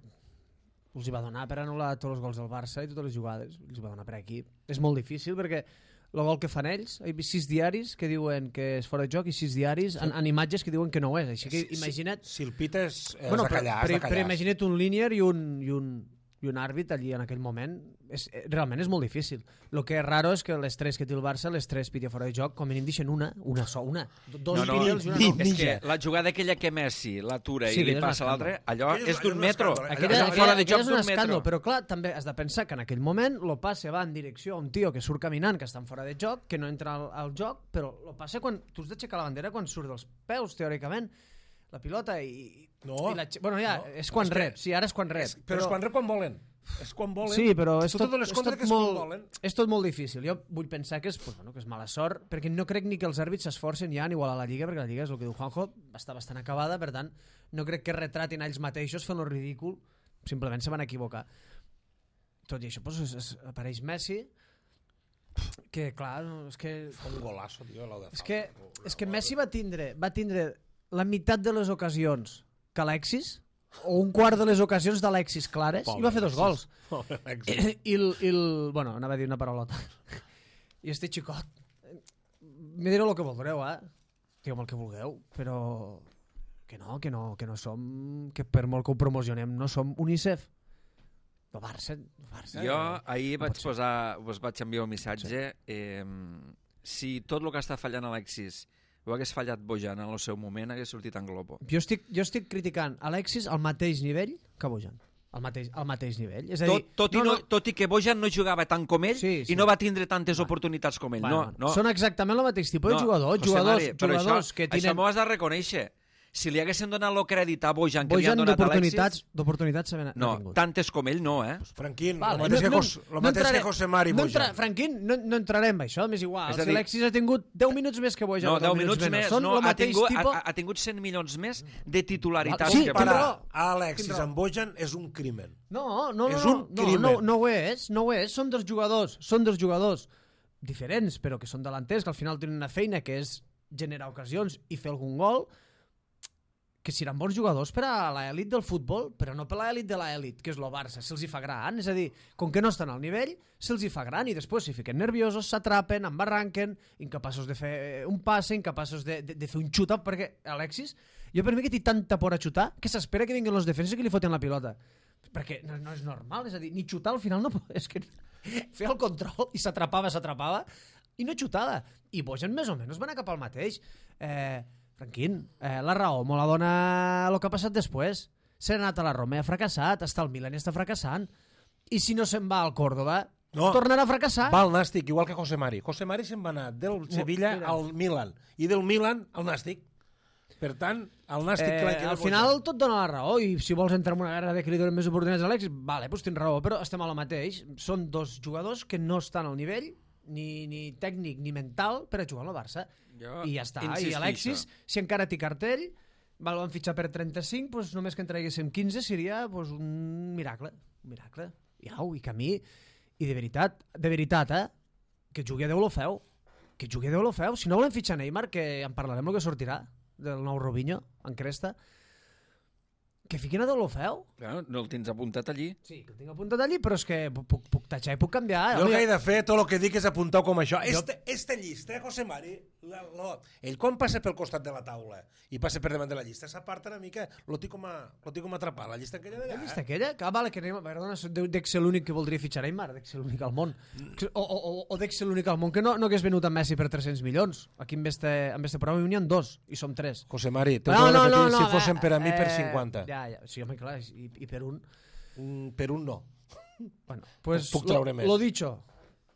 [SPEAKER 3] els hi va donar per anul·lar tots els gols del Barça i totes les jugades, els hi va donar per aquí. És molt difícil perquè el gol que fan ells, hi ha sis diaris que diuen que és fora de joc i sis diaris en, en imatges que diuen que no ho és, així que imagina't...
[SPEAKER 2] Si, si el pites, has
[SPEAKER 3] bueno,
[SPEAKER 2] de callar,
[SPEAKER 3] però,
[SPEAKER 2] has de callar.
[SPEAKER 3] però imagina't un línier i un... I un i un àrbit allí en aquell moment és, realment és molt difícil. El que és raro és que les tres que té el Barça, les tres piti fora de joc, com a mínim deixen una, una so, una. Dos
[SPEAKER 1] no, no,
[SPEAKER 3] píniels i una
[SPEAKER 1] no.
[SPEAKER 3] no.
[SPEAKER 1] És que la jugada aquella que Messi l'atura
[SPEAKER 3] sí,
[SPEAKER 1] i li passa a l'altre, allò
[SPEAKER 2] aquella
[SPEAKER 1] és d'un metro.
[SPEAKER 2] escàndol,
[SPEAKER 3] aquella,
[SPEAKER 1] és
[SPEAKER 3] aquella,
[SPEAKER 1] fora de joc
[SPEAKER 3] és un
[SPEAKER 1] d'un
[SPEAKER 3] escàndol,
[SPEAKER 1] metro.
[SPEAKER 3] però clar, també has de pensar que en aquell moment lo passe va en direcció a un tio que surt caminant, que està en fora de joc, que no entra al, al joc, però lo passe quan tu has d'aixecar la bandera quan surt dels peus, teòricament, la pilota i...
[SPEAKER 2] No,
[SPEAKER 3] i la, bueno, ja,
[SPEAKER 2] no,
[SPEAKER 3] és quan
[SPEAKER 2] és que,
[SPEAKER 3] rep, sí, ara és quan rep.
[SPEAKER 2] És, però, però és quan rep quan volen. És quan volen.
[SPEAKER 3] Sí, però és tot,
[SPEAKER 2] és
[SPEAKER 3] tot,
[SPEAKER 2] que és
[SPEAKER 3] molt, és tot molt difícil. Jo vull pensar que és, pues, bueno, que és mala sort, perquè no crec ni que els àrbits s'esforcen ja en igualar la Lliga, perquè la Lliga és el que diu Juanjo, està bastant acabada, per tant, no crec que retratin a ells mateixos fent lo ridícul, simplement se van equivocar. Tot i això, pues, es, es, apareix Messi, que clar, és que...
[SPEAKER 2] Un golazo, tio, l'au de
[SPEAKER 3] és que, és que Messi va tindre, va tindre la meitat de les ocasions que Alexis, o un quart de les ocasions d'Alexis clares, Pobre i va fer dos gols. I, i, el, i el... Bueno, anava a dir una paraulota. I este xicot, me direu el que voldreu, eh? Digueu el que vulgueu, però que no, que no, que no som, que per molt que ho promocionem, no som UNICEF. El Barça, el Barça...
[SPEAKER 1] Jo ahir
[SPEAKER 3] no
[SPEAKER 1] vaig posar, us vaig enviar un missatge. Sí. Eh, si tot el que està fallant Alexis ho hagués fallat Bojan en el seu moment, hagués sortit en globo.
[SPEAKER 3] Jo estic, jo estic criticant Alexis al mateix nivell que Bojan. Al mateix, al mateix nivell. És a dir,
[SPEAKER 1] tot, tot, no, i no, no, tot i que Bojan no jugava tant com ell
[SPEAKER 3] sí, sí.
[SPEAKER 1] i no va tindre tantes
[SPEAKER 3] bueno.
[SPEAKER 1] oportunitats com ell.
[SPEAKER 3] Bueno,
[SPEAKER 1] no, no.
[SPEAKER 3] Són exactament el mateix tipus
[SPEAKER 1] no,
[SPEAKER 3] de jugadors.
[SPEAKER 1] José
[SPEAKER 3] Jugadors,
[SPEAKER 1] Mari,
[SPEAKER 3] jugadors
[SPEAKER 1] això,
[SPEAKER 3] que tenen...
[SPEAKER 1] Això m'ho has de reconèixer. Si li haguessin donat el crèdit a Bojan que
[SPEAKER 3] Bojan
[SPEAKER 1] li han donat a Alexis...
[SPEAKER 3] d'oportunitats no,
[SPEAKER 1] no,
[SPEAKER 3] tingut.
[SPEAKER 1] tantes com ell no, eh?
[SPEAKER 2] Franquín,
[SPEAKER 3] vale,
[SPEAKER 2] el mateix,
[SPEAKER 3] no,
[SPEAKER 2] que, Jos,
[SPEAKER 3] no,
[SPEAKER 2] el mateix
[SPEAKER 3] no
[SPEAKER 2] que José Mari
[SPEAKER 3] no
[SPEAKER 2] Bojan.
[SPEAKER 3] entra, Franquín, no, no entrarem en això, m'és igual.
[SPEAKER 1] És a dir,
[SPEAKER 3] si Alexis ha tingut deu minuts més que Bojan,
[SPEAKER 1] no, deu minuts més,
[SPEAKER 3] Són
[SPEAKER 1] no,
[SPEAKER 3] el
[SPEAKER 1] ha,
[SPEAKER 3] mateix
[SPEAKER 1] tingut,
[SPEAKER 3] tipus...
[SPEAKER 1] ha, ha tingut cent milions més de titularitat.
[SPEAKER 3] Sí,
[SPEAKER 1] que
[SPEAKER 3] tindrà
[SPEAKER 2] Comparar
[SPEAKER 3] raó.
[SPEAKER 2] a Alexis amb Bojan és un crimen.
[SPEAKER 3] No, no, no,
[SPEAKER 2] és
[SPEAKER 3] no,
[SPEAKER 2] un
[SPEAKER 3] no,
[SPEAKER 2] crimen.
[SPEAKER 3] no, no ho és, no ho és. Són dos jugadors, són dos jugadors diferents, però que són delanters, que al final tenen una feina que és generar ocasions i fer algun gol, que seran bons jugadors per a l'elit del futbol, però no per a l'elit de l'elit, que és el Barça, se'ls hi fa gran, és a dir, com que no estan al nivell, se'ls hi fa gran i després s'hi fiquen nerviosos, s'atrapen, embarranquen, incapaços de fer un passe, incapaços de, de, de fer un xuta, perquè Alexis, jo per mi que té tanta por a xutar, que s'espera que vinguin els defenses que li foten la pilota, perquè no, no és normal, és a dir, ni xutar al final no és que fer el control i s'atrapava, s'atrapava, i no xutava, i Bojan més o menys va anar cap al mateix, eh... Franquín, eh, la raó me la dona el que ha passat després. S'ha anat a la Roma i ha fracassat, està al Milan i està fracassant. I si no se'n va al Córdoba, no, tornarà a fracassar.
[SPEAKER 2] Va al Nàstic, igual que José Mari. José Mari se'n va anar del Sevilla oh, al Milan i del Milan al Nàstic. Per tant, el Nàstic...
[SPEAKER 3] Eh,
[SPEAKER 2] que
[SPEAKER 3] al final tot dona la raó i si vols entrar en una guerra de que li donen més oportunitats a Alexis, vale, doncs tens raó, però estem a la mateix. Són dos jugadors que no estan al nivell ni, ni tècnic ni mental per a jugar al Barça.
[SPEAKER 1] Jo
[SPEAKER 3] I ja està.
[SPEAKER 1] insistisco.
[SPEAKER 3] I Alexis, si encara té cartell, el van fitxar per trenta-cinc, doncs només que en traguéssim quinze seria doncs, un miracle. Un miracle. I au, i que a mi... I de veritat, de veritat, eh? Que jugui a Déu lo feu. que jugui Deulofeu. Si no volem fitxar Neymar, que en parlarem el que sortirà del nou Robinho en cresta, que fiquin a Deulofeu.
[SPEAKER 1] No, no el tens apuntat allí?
[SPEAKER 3] Sí, que el tinc apuntat allí, però és que puc, puc tatxar i puc canviar.
[SPEAKER 2] Jo el que he de fer, tot el que dic és apuntar com això.
[SPEAKER 3] Jo...
[SPEAKER 2] Este, este llista, eh, José Mari, la, la, ell quan passa pel costat de la taula i passa per davant de la llista, s'aparta una mica, lo tinc com a, lo tinc com a atrapar, la llista aquella d'allà.
[SPEAKER 3] La llista aquella? Que, ah, vale, que Neymar, perdona, dec ser l'únic que voldria fitxar Neymar, dec ser l'únic al món. O, o, o, o dec ser l'únic al món que no, no hagués venut amb Messi per tres-cents milions. Aquí en este, en este programa n'hi ha dos, i som tres.
[SPEAKER 2] José Mari, t'ho
[SPEAKER 3] No,
[SPEAKER 2] no,
[SPEAKER 3] no,
[SPEAKER 2] repetir,
[SPEAKER 3] no, no,
[SPEAKER 2] si fossin per a mi
[SPEAKER 3] eh,
[SPEAKER 2] per cinquanta.
[SPEAKER 3] Ja, ja, sí, home, clar, i, i per un...
[SPEAKER 2] Mm, per un no.
[SPEAKER 3] Bueno, pues
[SPEAKER 2] Puc treure
[SPEAKER 3] lo,
[SPEAKER 2] més.
[SPEAKER 3] lo dicho,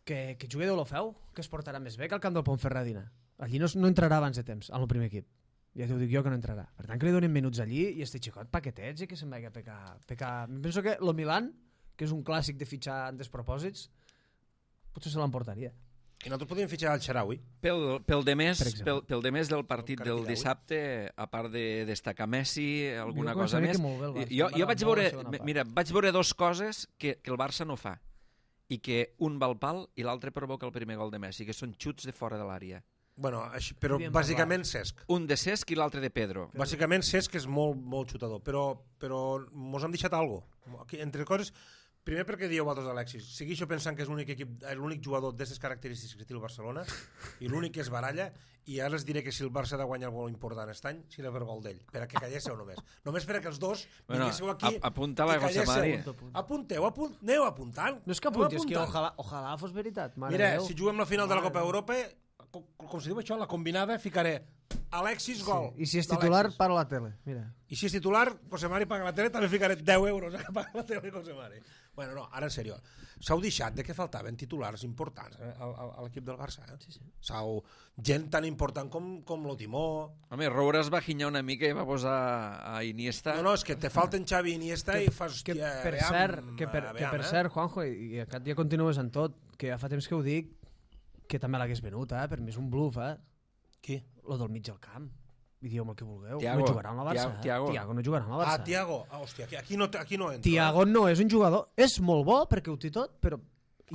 [SPEAKER 3] que, que jugui Deulofeu, que es portarà més bé que al camp del Pontferradina. Allí no, no entrarà abans de temps, al primer equip. Ja t'ho dic jo que no entrarà. Per tant, que li donen minuts allí i este xicot paquetets i que se'n vagi a pecar. pecar. Penso que lo Milan, que és un clàssic de fitxar en despropòsits, potser se l'emportaria.
[SPEAKER 2] I nosaltres podíem fitxar el Xaraui.
[SPEAKER 1] Pel, pel, de més,
[SPEAKER 3] Per exemple.
[SPEAKER 1] pel, pel de més del partit
[SPEAKER 2] El
[SPEAKER 1] del
[SPEAKER 2] Cartiraui.
[SPEAKER 1] dissabte, a part de destacar Messi, alguna
[SPEAKER 3] Jo
[SPEAKER 1] cosa
[SPEAKER 3] començaré
[SPEAKER 1] més,
[SPEAKER 3] que molt bé el Barça.
[SPEAKER 1] jo, jo
[SPEAKER 3] M'ha
[SPEAKER 1] vaig
[SPEAKER 3] agradat
[SPEAKER 1] veure,
[SPEAKER 3] molt la segona part.
[SPEAKER 1] mira, vaig veure dos coses que, que el Barça no fa i que un va al pal i l'altre provoca el primer gol de Messi, que són xuts de fora de l'àrea.
[SPEAKER 2] Bueno, així, però
[SPEAKER 3] Podíem
[SPEAKER 2] bàsicament Cesc.
[SPEAKER 1] Un de Cesc i l'altre de Pedro.
[SPEAKER 2] Bàsicament Cesc és molt, molt xutador, però, però mos han deixat alguna cosa. Entre coses, primer perquè dieu vosaltres Alexis, segueixo pensant que és l'únic equip, l'únic jugador d'aquestes característiques que té el Barcelona i l'únic que és baralla, i ara els diré que si el Barça ha de guanyar el gol important aquest any, serà per gol d'ell, per a que callésseu només. Només per a que els dos
[SPEAKER 1] Bueno,
[SPEAKER 2] vinguéssiu aquí
[SPEAKER 1] a- apunta-la,
[SPEAKER 2] i
[SPEAKER 1] José
[SPEAKER 2] calléssiu.
[SPEAKER 1] Mari.
[SPEAKER 2] Apunteu, apunt, aneu apuntant.
[SPEAKER 3] No és que
[SPEAKER 2] aneu
[SPEAKER 3] apunti, és que
[SPEAKER 2] apuntant.
[SPEAKER 3] ojalà, ojalà fos veritat. Mare
[SPEAKER 2] Mira,
[SPEAKER 3] Déu.
[SPEAKER 2] si juguem la final de la
[SPEAKER 3] Mare
[SPEAKER 2] Copa
[SPEAKER 3] Déu.
[SPEAKER 2] Europa, com, com se diu això, la combinada, ficaré Alexis gol.
[SPEAKER 3] I si és titular,
[SPEAKER 2] d'Alexis.
[SPEAKER 3] para la tele. Mira.
[SPEAKER 2] I si és titular, José Mari paga la tele, també ficaré deu euros a que paga la tele José Mari. Bueno, no, ara en sèrio. S'heu deixat de que faltaven titulars importants eh, a, a, a l'equip del Barça. Eh? Sí, sí. S'heu... Gent tan important com, com l'Otimó.
[SPEAKER 1] Home, Roure es va ginyar una mica i va posar a Iniesta.
[SPEAKER 2] No, no, és que te falten Xavi i Iniesta
[SPEAKER 3] Que,
[SPEAKER 2] i fas...
[SPEAKER 3] que,
[SPEAKER 2] hòstia,
[SPEAKER 3] per
[SPEAKER 2] aviam,
[SPEAKER 3] cert, que per, que
[SPEAKER 2] aviam,
[SPEAKER 3] per
[SPEAKER 2] eh?
[SPEAKER 3] cert, Juanjo, i, i aquest dia continues en tot, que ja fa temps que ho dic, que també l'hagués venut, eh? Per mi és un bluff, eh?
[SPEAKER 2] Qui?
[SPEAKER 3] Lo del mig del camp. I dieu-me el que vulgueu.
[SPEAKER 1] Tiago.
[SPEAKER 3] No jugarà amb el Barça.
[SPEAKER 1] Tiago,
[SPEAKER 3] eh?
[SPEAKER 1] Tiago.
[SPEAKER 3] Tiago no jugarà amb el Barça.
[SPEAKER 2] Ah, Tiago. Ah, hòstia, aquí, aquí, no, aquí no entra.
[SPEAKER 3] Tiago no és un jugador... És molt bo perquè ho té tot, però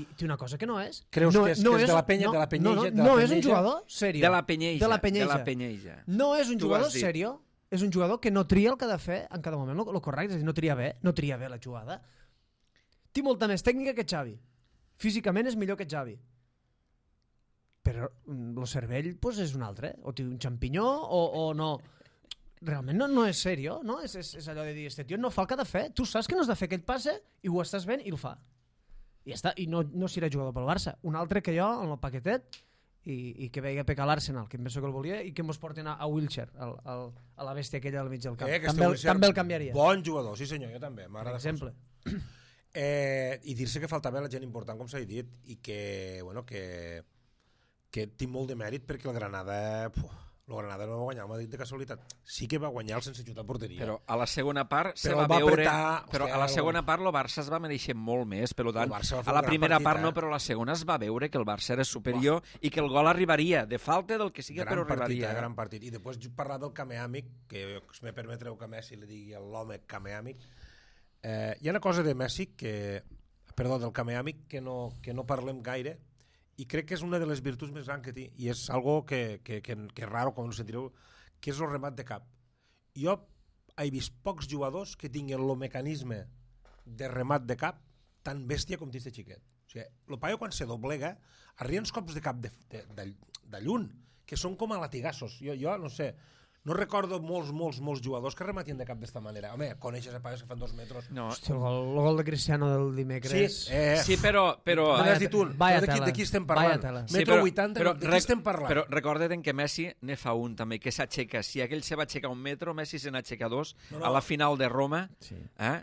[SPEAKER 3] i té una cosa que no és.
[SPEAKER 2] Creus
[SPEAKER 3] no,
[SPEAKER 2] que és-
[SPEAKER 3] no
[SPEAKER 2] que és de la penya-
[SPEAKER 3] no,
[SPEAKER 2] de la penyeja-
[SPEAKER 3] No, no,
[SPEAKER 2] de la
[SPEAKER 3] no és un
[SPEAKER 2] penyeja?
[SPEAKER 3] jugador serio.
[SPEAKER 1] De la penyeja.
[SPEAKER 3] De la penyeja.
[SPEAKER 1] De la penyeja.
[SPEAKER 3] No és un
[SPEAKER 1] Tu ho
[SPEAKER 3] jugador
[SPEAKER 1] has dit.
[SPEAKER 3] serio, és un jugador que no tria el que ha de fer en cada moment, el correcte, és a dir, no tria bé, no tria bé la jugada. Té molta més tècnica que Xavi. Físicament és millor que Xavi. Però el cervell pues, és un altre. O té un xampinyó o, o no. Realment no, no és serio, no? És, és, és allò de dir, este tio no fa el que ha de fer. Tu saps que no has de fer aquell passe i ho estàs fent i el fa. I ja està. I no, no serà jugador pel Barça. Un altre que jo, en el paquetet, i, i que veia pecar l'Arsenal, que em penso que el volia, i que mos porten a, a Wilshere, al, al, a la bèstia aquella al mig del camp.
[SPEAKER 2] Eh, que
[SPEAKER 3] també, el,
[SPEAKER 2] Wilshere,
[SPEAKER 3] també el canviaria.
[SPEAKER 2] Bon jugador, sí senyor, jo també.
[SPEAKER 3] per
[SPEAKER 2] M'agrada
[SPEAKER 3] exemple.
[SPEAKER 2] força. Eh, I dir-se que faltava la gent important, com s'ha dit, i que, bueno, que, que té molt de mèrit perquè el Granada... Puh, el Granada no va guanyar el Madrid de casualitat. Sí que va guanyar el sense xutar a porteria.
[SPEAKER 1] Però a la segona part se
[SPEAKER 2] Però
[SPEAKER 1] va,
[SPEAKER 2] va
[SPEAKER 1] veure...
[SPEAKER 2] apretar,
[SPEAKER 1] però
[SPEAKER 2] hòstia,
[SPEAKER 1] a la
[SPEAKER 2] el-
[SPEAKER 1] segona part el Barça es va mereixer molt més, per tant,
[SPEAKER 2] El Barça va fer
[SPEAKER 1] a
[SPEAKER 2] un
[SPEAKER 1] la
[SPEAKER 2] gran
[SPEAKER 1] primera
[SPEAKER 2] partit,
[SPEAKER 1] part no,
[SPEAKER 2] eh?
[SPEAKER 1] però a la segona es va veure que el Barça era superior i que el gol arribaria, de falta del que sigui,
[SPEAKER 2] gran
[SPEAKER 1] però
[SPEAKER 2] partit,
[SPEAKER 1] arribaria.
[SPEAKER 2] eh, gran partit. I després parlar del Kameàmic, que si me permetreu que Messi li digui a l'home Kameàmic. Eh, hi ha una cosa de Messi que... Perdó, del Kameàmic que no, que no parlem gaire, i crec que és una de les virtuts més grans que té, i és algo que, que, que, que és raro, com ho sentireu, que és el remat de cap. Jo he vist pocs jugadors que tinguin el mecanisme de remat de cap tan bèstia com té este xiquet. O sigui, el paio quan se doblega arriba uns cops de cap de, de, de, de lluny, que són com a latigassos. Jo, jo no sé, no recordo molts, molts, molts jugadors que rematien de cap d'esta manera. Home, coneixes a paios que fan dos metres.
[SPEAKER 1] No.
[SPEAKER 3] Hòstia, el gol, el gol de Cristiano del dimecres...
[SPEAKER 2] Sí, eh,
[SPEAKER 1] Sí, però... però
[SPEAKER 2] no
[SPEAKER 3] Vaya
[SPEAKER 2] n'has dit un.
[SPEAKER 3] vaya
[SPEAKER 2] Però de, qui,
[SPEAKER 3] tela.
[SPEAKER 2] de qui estem
[SPEAKER 3] Vaya
[SPEAKER 2] parlant?
[SPEAKER 3] tela.
[SPEAKER 1] Sí,
[SPEAKER 2] Metro
[SPEAKER 1] però-
[SPEAKER 2] vuitanta,
[SPEAKER 1] però
[SPEAKER 2] de qui
[SPEAKER 1] rec-
[SPEAKER 2] estem parlant?
[SPEAKER 1] Però recorda't que Messi ne fa un també, que s'aixeca. Si aquell se va aixecar un metro, Messi se n'aixeca dos
[SPEAKER 2] No, no.
[SPEAKER 1] a la final de Roma.
[SPEAKER 3] Sí.
[SPEAKER 1] Eh?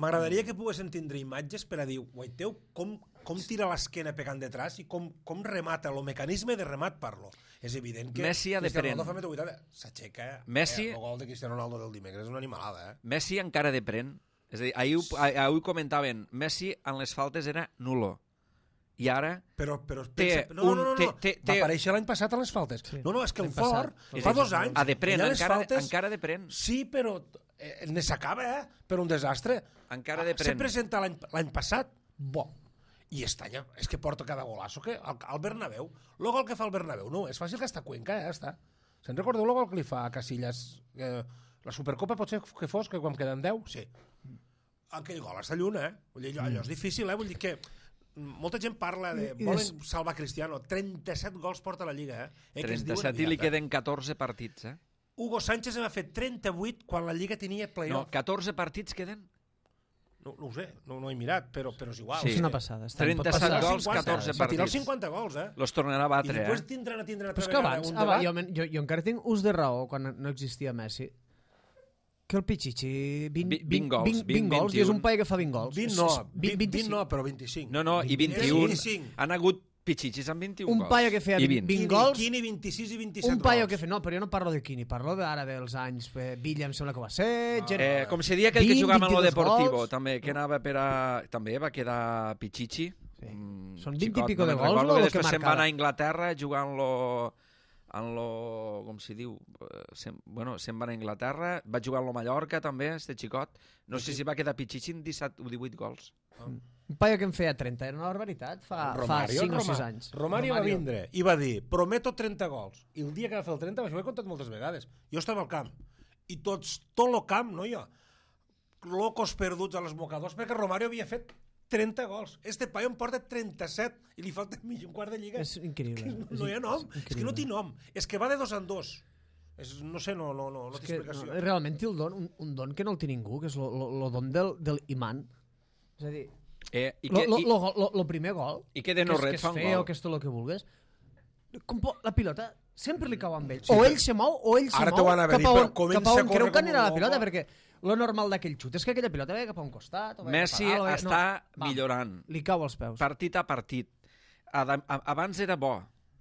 [SPEAKER 2] M'agradaria que poguéssim tindre imatges per a dir, guaiteu, com, com tira l'esquena pegant detrás i com, com remata, el mecanisme de remat parlo. És evident que
[SPEAKER 1] Messi ha de
[SPEAKER 2] Cristiano
[SPEAKER 1] pren.
[SPEAKER 2] Ronaldo fa metro vuitanta, s'aixeca.
[SPEAKER 1] Messi-
[SPEAKER 2] Eh, el gol de Cristiano Ronaldo del dimecres és una animalada, eh?
[SPEAKER 1] Messi encara de pren. És a dir, ahir, ho- ah- ahir ho comentaven, Messi en les faltes era nulo. I ara...
[SPEAKER 2] Però, però
[SPEAKER 1] Té
[SPEAKER 2] pensa, no, no, no, no,
[SPEAKER 1] un-
[SPEAKER 2] no.
[SPEAKER 1] té- té-
[SPEAKER 2] va
[SPEAKER 1] té-
[SPEAKER 2] aparèixer l'any passat a les faltes.
[SPEAKER 3] Sí.
[SPEAKER 2] No, no, és que el
[SPEAKER 3] L'any passat.
[SPEAKER 2] Fort fa dos anys...
[SPEAKER 1] A de pren,
[SPEAKER 2] allà les
[SPEAKER 1] encara,
[SPEAKER 2] faltes-
[SPEAKER 1] encara de pren.
[SPEAKER 2] Sí, però eh, ne s'acaba, eh? Per un desastre.
[SPEAKER 1] Encara de
[SPEAKER 2] Se
[SPEAKER 1] pren.
[SPEAKER 2] presenta l'any l'any passat, bo. i estanya, és que porta cada golasso que al, al Bernabéu, el gol que fa el Bernabéu, no, és fàcil que està a Cuenca, ja està. Se'n recordeu el gol que li fa a Casillas? Eh, la Supercopa pot ser que fos, que quan queden deu? Sí. Aquell gol està lluny, eh? Vull dir, allò és difícil, eh? Vull dir que molta gent parla de... Volen salvar Cristiano. trenta-set gols porta a la Lliga, eh? eh
[SPEAKER 1] trenta-set i li queden catorze partits, eh?
[SPEAKER 2] Hugo Sánchez en va fer trenta-vuit quan la Lliga tenia playoff.
[SPEAKER 1] No, catorze partits queden?
[SPEAKER 2] No, no ho sé, no, no he mirat, però, però és igual.
[SPEAKER 3] Sí. És una passada.
[SPEAKER 1] trenta-set gols, catorze partits.
[SPEAKER 2] Va tirar els cinquanta gols, eh?
[SPEAKER 1] Los tornarà a batre,
[SPEAKER 2] eh? I després
[SPEAKER 1] eh?
[SPEAKER 2] tindran a tindran a
[SPEAKER 3] però és que abans,
[SPEAKER 2] un
[SPEAKER 3] abans
[SPEAKER 2] debat.
[SPEAKER 3] jo, jo, jo encara tinc ús de raó quan no existia Messi. Que el Pichichi... vint,
[SPEAKER 1] vint gols,
[SPEAKER 3] vint, vint gols, i és un paio que fa vint gols.
[SPEAKER 2] vint no, vint, vint no, però vint-i-cinc.
[SPEAKER 1] No, no, i vint-i-un. Han hagut Pichichis amb vint-i-un
[SPEAKER 3] un
[SPEAKER 1] gols.
[SPEAKER 3] Un paio que feia vint, vint gols...
[SPEAKER 2] Quini, vint-i-sis i vint-i-set
[SPEAKER 3] un paio
[SPEAKER 2] gols.
[SPEAKER 3] que feia... No, però jo no parlo de Quini, parlo ara dels anys. Villa em sembla que va ser...
[SPEAKER 1] Ah, eh, com se dia aquell que jugava en lo Deportivo, gols. també, que anava per a... També va quedar Pichichi.
[SPEAKER 3] Sí.
[SPEAKER 1] Mm,
[SPEAKER 3] Són vint
[SPEAKER 1] xicot,
[SPEAKER 3] i pico
[SPEAKER 1] no
[SPEAKER 3] de gols,
[SPEAKER 1] no,
[SPEAKER 3] o
[SPEAKER 1] que se'n va anar a Anglaterra jugant-lo... en lo... com s'hi diu? Se'n, bueno, se'n va anar a Anglaterra, va jugar en lo Mallorca també, este xicot. No sé si va quedar Pichichi en disset o divuit gols.
[SPEAKER 3] Ah. Un paio que en feia trenta, era una barbaritat, fa,
[SPEAKER 2] Romario,
[SPEAKER 3] fa cinc
[SPEAKER 2] Roma,
[SPEAKER 3] o sis anys.
[SPEAKER 2] Romario, Romario va vindre i va dir, prometo trenta gols. I el dia que va fer el trenta, això ho he contat moltes vegades, jo estava al camp, i tots, tot el camp, no jo, locos perduts a les mocadors, perquè Romario havia fet trenta gols. Este paio en porta trenta-set i li falta mig un quart de lliga.
[SPEAKER 3] És increïble.
[SPEAKER 2] És no, no hi ha nom, és, és que no té nom. És que va de dos en dos. És, no sé, no, no, no, no té explicació.
[SPEAKER 3] No, realment té el don, un, un don que no el té ningú, que és el don del, del imant. És a dir,
[SPEAKER 1] Eh, i
[SPEAKER 3] lo,
[SPEAKER 1] que,
[SPEAKER 3] lo,
[SPEAKER 1] i,
[SPEAKER 3] lo, lo, lo primer gol,
[SPEAKER 1] i que de no ret
[SPEAKER 3] que és,
[SPEAKER 1] fa un
[SPEAKER 3] que és
[SPEAKER 1] gol.
[SPEAKER 3] feo, que és tot el que vulgues, com po, la pilota sempre li cau amb ell. Sí, o ell se mou, o ell se
[SPEAKER 2] ara
[SPEAKER 3] mou cap a on, cap a on creu que anirà la pilota, perquè lo normal d'aquell xut és que aquella pilota ve cap a un costat. O
[SPEAKER 1] Messi
[SPEAKER 3] cap a dalt,
[SPEAKER 1] està
[SPEAKER 3] no,
[SPEAKER 1] millorant.
[SPEAKER 3] Li cau als peus.
[SPEAKER 1] Partit a partit. Abans era bo,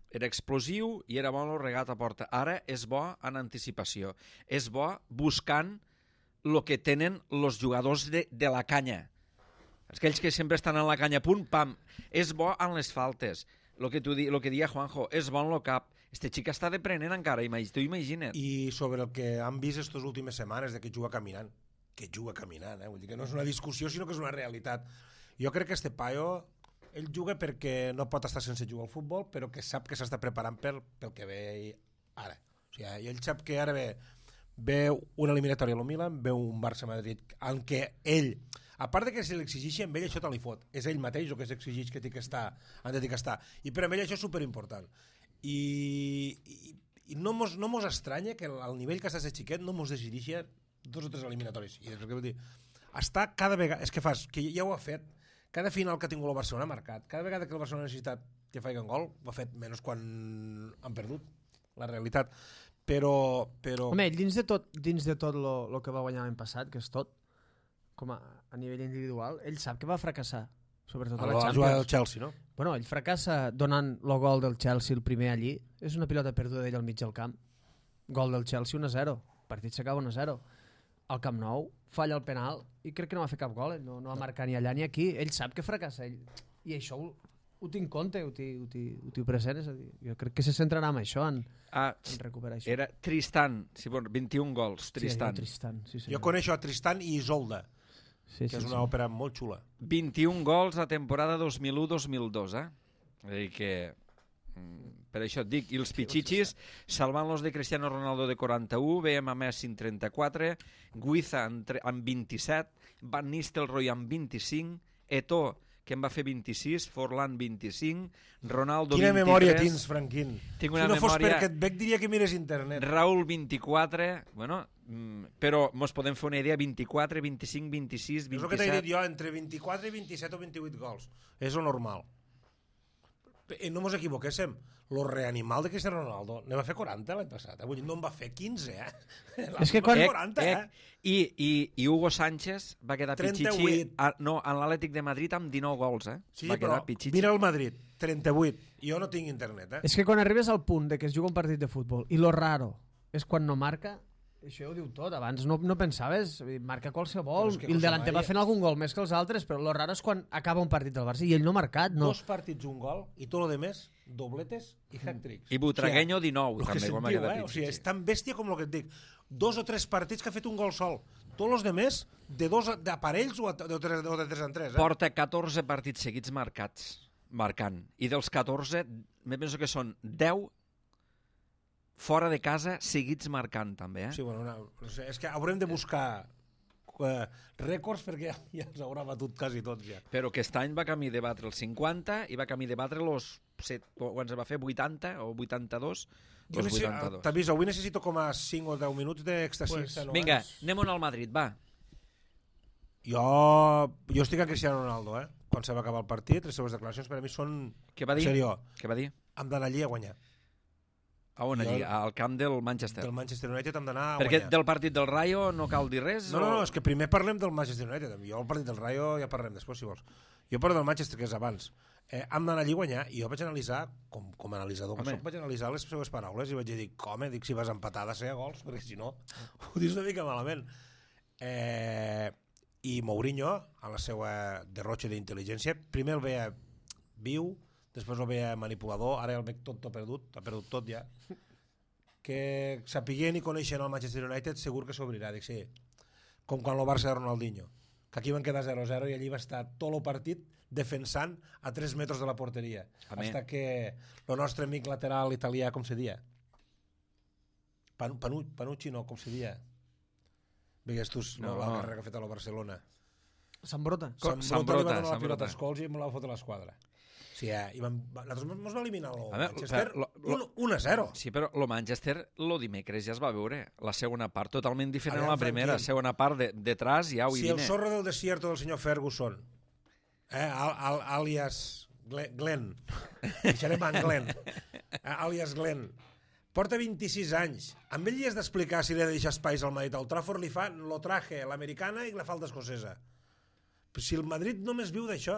[SPEAKER 1] era explosiu i era bo el regat a porta. Ara és bo en anticipació. És bo buscant el que tenen els jugadors de, de la canya. Aquells que sempre estan en la canya, punt, pam. És bo en les faltes. Lo que, tu di, lo que dia Juanjo, és bon lo cap. Este xic està deprenent encara, tu imagina't.
[SPEAKER 2] I sobre el que han vist aquestes últimes setmanes de que juga caminant. Que juga caminant, eh? Vull dir que no és una discussió, sinó que és una realitat. Jo crec que este paio, ell juga perquè no pot estar sense jugar al futbol, però que sap que s'està preparant pel, pel que ve ara. O sigui, ell sap que ara ve, ve una eliminatòria a lo Milan, ve un Barça-Madrid, en què ell, a part de que se l'exigeixi, amb ell això te li fot. És ell mateix el que s'exigeix que té que estar, han de dir que estar. I per a ell això és superimportant. I, i, i no mos, no mos estranya que al nivell que està aquest xiquet no mos decideixi dos o tres eliminatoris. I és el que vull dir. Està cada vegada... És que fas, que ja ho ha fet. Cada final que ha tingut el Barcelona ha marcat. Cada vegada que el Barcelona ha necessitat que faci un gol, ho ha fet, menys quan han perdut. La realitat. Però... però...
[SPEAKER 3] Home, dins de tot, dins de tot lo, lo que va guanyar l'any passat, que és tot, com a, a nivell individual, ell sap que va fracassar, sobretot a la Champions.
[SPEAKER 2] Jugar al Chelsea, no?
[SPEAKER 3] Bueno, ell fracassa donant el gol del Chelsea el primer allí. És una pilota perduda d'ell al mig del camp. Gol del Chelsea un a zero. El partit s'acaba un a zero. Al Camp Nou falla el penal i crec que no va fer cap gol. Eh? No, no va marcar ni allà ni aquí. Ell sap que fracassa. Ell. I això ho, ho tinc compte, ho tinc present. És a dir, jo crec que se centrarà en això, en,
[SPEAKER 1] ah,
[SPEAKER 3] en recuperar això.
[SPEAKER 1] Era Tristan, sí, bueno, vint-i-un gols, Tristan.
[SPEAKER 3] Sí, Tristan sí,
[SPEAKER 2] jo coneixo a Tristan i Isolda,
[SPEAKER 3] sí,
[SPEAKER 2] que
[SPEAKER 3] sí,
[SPEAKER 2] és una
[SPEAKER 3] sí.
[SPEAKER 2] òpera molt xula.
[SPEAKER 1] vint-i-un gols a temporada dos mil u dos mil dos, eh? És a dir que... Per això et dic, i els pitxitxis salvant-los de Cristiano Ronaldo de quaranta-u, veiem a Messi en trenta-quatre, Guiza amb vint-i-set, Van Nistelrooy amb vint-i-cinc, Eto'o, que en va fer vint-i-sis, Forlán vint-i-cinc, Ronaldo
[SPEAKER 2] Quina
[SPEAKER 1] vint-i-tres...
[SPEAKER 2] Quina memòria tens, Franquín.
[SPEAKER 1] Tinc una
[SPEAKER 2] si no fos
[SPEAKER 1] memòria...
[SPEAKER 2] perquè et veig diria que mires internet.
[SPEAKER 1] Raúl vint-i-quatre, bueno, però mos podem fer una idea, vint-i-quatre, vint-i-cinc, vint-i-sis, vint-i-set...
[SPEAKER 2] És el que t'he dit jo, entre vint-i-quatre i vint-i-set o vint-i-vuit gols. És el normal. No mos equivoquéssim, lo reanimal de Cristiano Ronaldo ne va fer quaranta l'any passat, eh? Vull dir, no en va fer quinze, eh?
[SPEAKER 3] És que quan...
[SPEAKER 2] quaranta, eh?
[SPEAKER 1] I, i, I Hugo Sánchez va quedar pitxitxi a, no, en l'Atlètic de Madrid amb dinou gols, eh?
[SPEAKER 2] Sí,
[SPEAKER 1] va
[SPEAKER 2] però
[SPEAKER 1] pitxitxi.
[SPEAKER 2] Mira el Madrid, trenta-vuit. Jo no tinc internet, eh?
[SPEAKER 3] És que quan arribes al punt de que es juga un partit de futbol i lo raro és quan no marca, això ho diu tot. Abans no, no pensaves, marca qualsevol, i el delanter va fent algun gol més que els altres, però lo raro és quan acaba un partit del Barça i ell no ha marcat. No.
[SPEAKER 2] Dos partits, un gol, i tot lo demés, dobletes i hat-tricks.
[SPEAKER 1] I Butragueño dinou,
[SPEAKER 2] o sigui,
[SPEAKER 1] també,
[SPEAKER 2] que
[SPEAKER 1] com va
[SPEAKER 2] sentiu,
[SPEAKER 1] quedar
[SPEAKER 2] eh? O sigui, és tan bèstia com el que et dic. Dos o tres partits que ha fet un gol sol. tots els demés de dos d'aparells o de tres, o de tres en tres. Eh?
[SPEAKER 1] Porta catorze partits seguits marcats, marcant. I dels catorze, me penso que són deu fora de casa seguits marcant, també. Eh?
[SPEAKER 2] Sí, bueno, una, no sé, és que haurem de buscar eh, rècords perquè ja, ja els haurà batut quasi tots ja.
[SPEAKER 1] Però aquest any va camí de batre els cinquanta i va camí de batre els quan se va fer vuitanta o vuitanta-dos.
[SPEAKER 2] T'aviso, avui necessito com a cinc o deu minuts d'extasi.
[SPEAKER 1] Pues, vinga, anem al Madrid, va.
[SPEAKER 2] Jo, jo estic a Cristiano Ronaldo, eh? Quan se va acabar el partit, les seves declaracions per a mi són...
[SPEAKER 1] Què va dir?
[SPEAKER 2] Serió.
[SPEAKER 1] Què va dir?
[SPEAKER 2] Hem d'anar allí a guanyar.
[SPEAKER 1] A on allí? Al camp del Manchester.
[SPEAKER 2] Del Manchester United hem d'anar a
[SPEAKER 1] Perquè
[SPEAKER 2] guanyar.
[SPEAKER 1] Perquè del partit del Rayo no cal dir res?
[SPEAKER 2] No,
[SPEAKER 1] o...
[SPEAKER 2] no, no, és que primer parlem del Manchester United. Jo el partit del Rayo ja parlem després, si vols. Jo parlo del Manchester, que és abans. Eh, hem d'anar allí a guanyar, i jo vaig analitzar, com, com a analitzador que soc, vaig analitzar les seves paraules i vaig dir, com, dic, si vas empatar ha de ser a gols, perquè si no, ho dius una mica malament. Eh, I Mourinho, a la seva derrotxa d'intel·ligència, primer el veia viu, després el veia manipulador, ara el veig tot, tot perdut, ha perdut tot ja. Que sapiguent i coneixent el Manchester United segur que s'obrirà, dic sí, com quan el Barça de Ronaldinho, que aquí van quedar zero a zero i allí va estar tot el partit defensant a tres metres de la porteria, fins que el nostre amic lateral italià, com se dia? Panu, Panu, Panucci no, com se dia? Vigues tu no, la carrera que ha fet a la Barcelona.
[SPEAKER 3] Sambrota.
[SPEAKER 2] Sambrota li va donar la pilota a Scholes i me la va fotre a l'esquadra. Sí, eh? I vam, nosaltres ens va eliminar el Manchester un a zero.
[SPEAKER 1] Sí, però el Manchester el dimecres ja es va veure. La segona part totalment diferent a la primera. La segona part de, detrás ja ho hi
[SPEAKER 2] Si el zorro del desierto del senyor Ferguson, eh, al, al, alias Glenn, Glenn. deixarem en Glenn, eh, alias Glenn, porta vint-i-sis anys. Amb ell li has d'explicar si li ha de deixar espais al Madrid. Al Trafford li fa lo traje, l'americana i la falda escocesa. Però si el Madrid només viu d'això,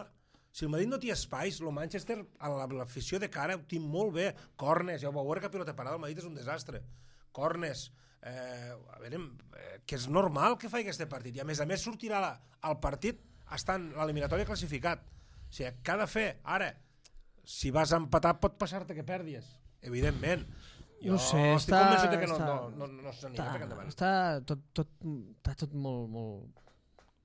[SPEAKER 2] si el Madrid no té espais, el Manchester, a l'afició de cara, ho té molt bé. Cornes, ja ho veuré que pilota parada, el Madrid és un desastre. Cornes, eh, a veure, eh, que és normal que faci aquest partit. I a més a més sortirà la, al partit estant l'eliminatòria classificat. O sigui, què ha de fer? Ara, si vas a empatar pot passar-te que perdis, evidentment. Jo
[SPEAKER 3] no sé,
[SPEAKER 2] estic
[SPEAKER 3] està,
[SPEAKER 2] convençut que no,
[SPEAKER 3] està,
[SPEAKER 2] no, no, no, no s'anima
[SPEAKER 3] està,
[SPEAKER 2] cap endavant.
[SPEAKER 3] Està tot, tot, està tot molt, molt,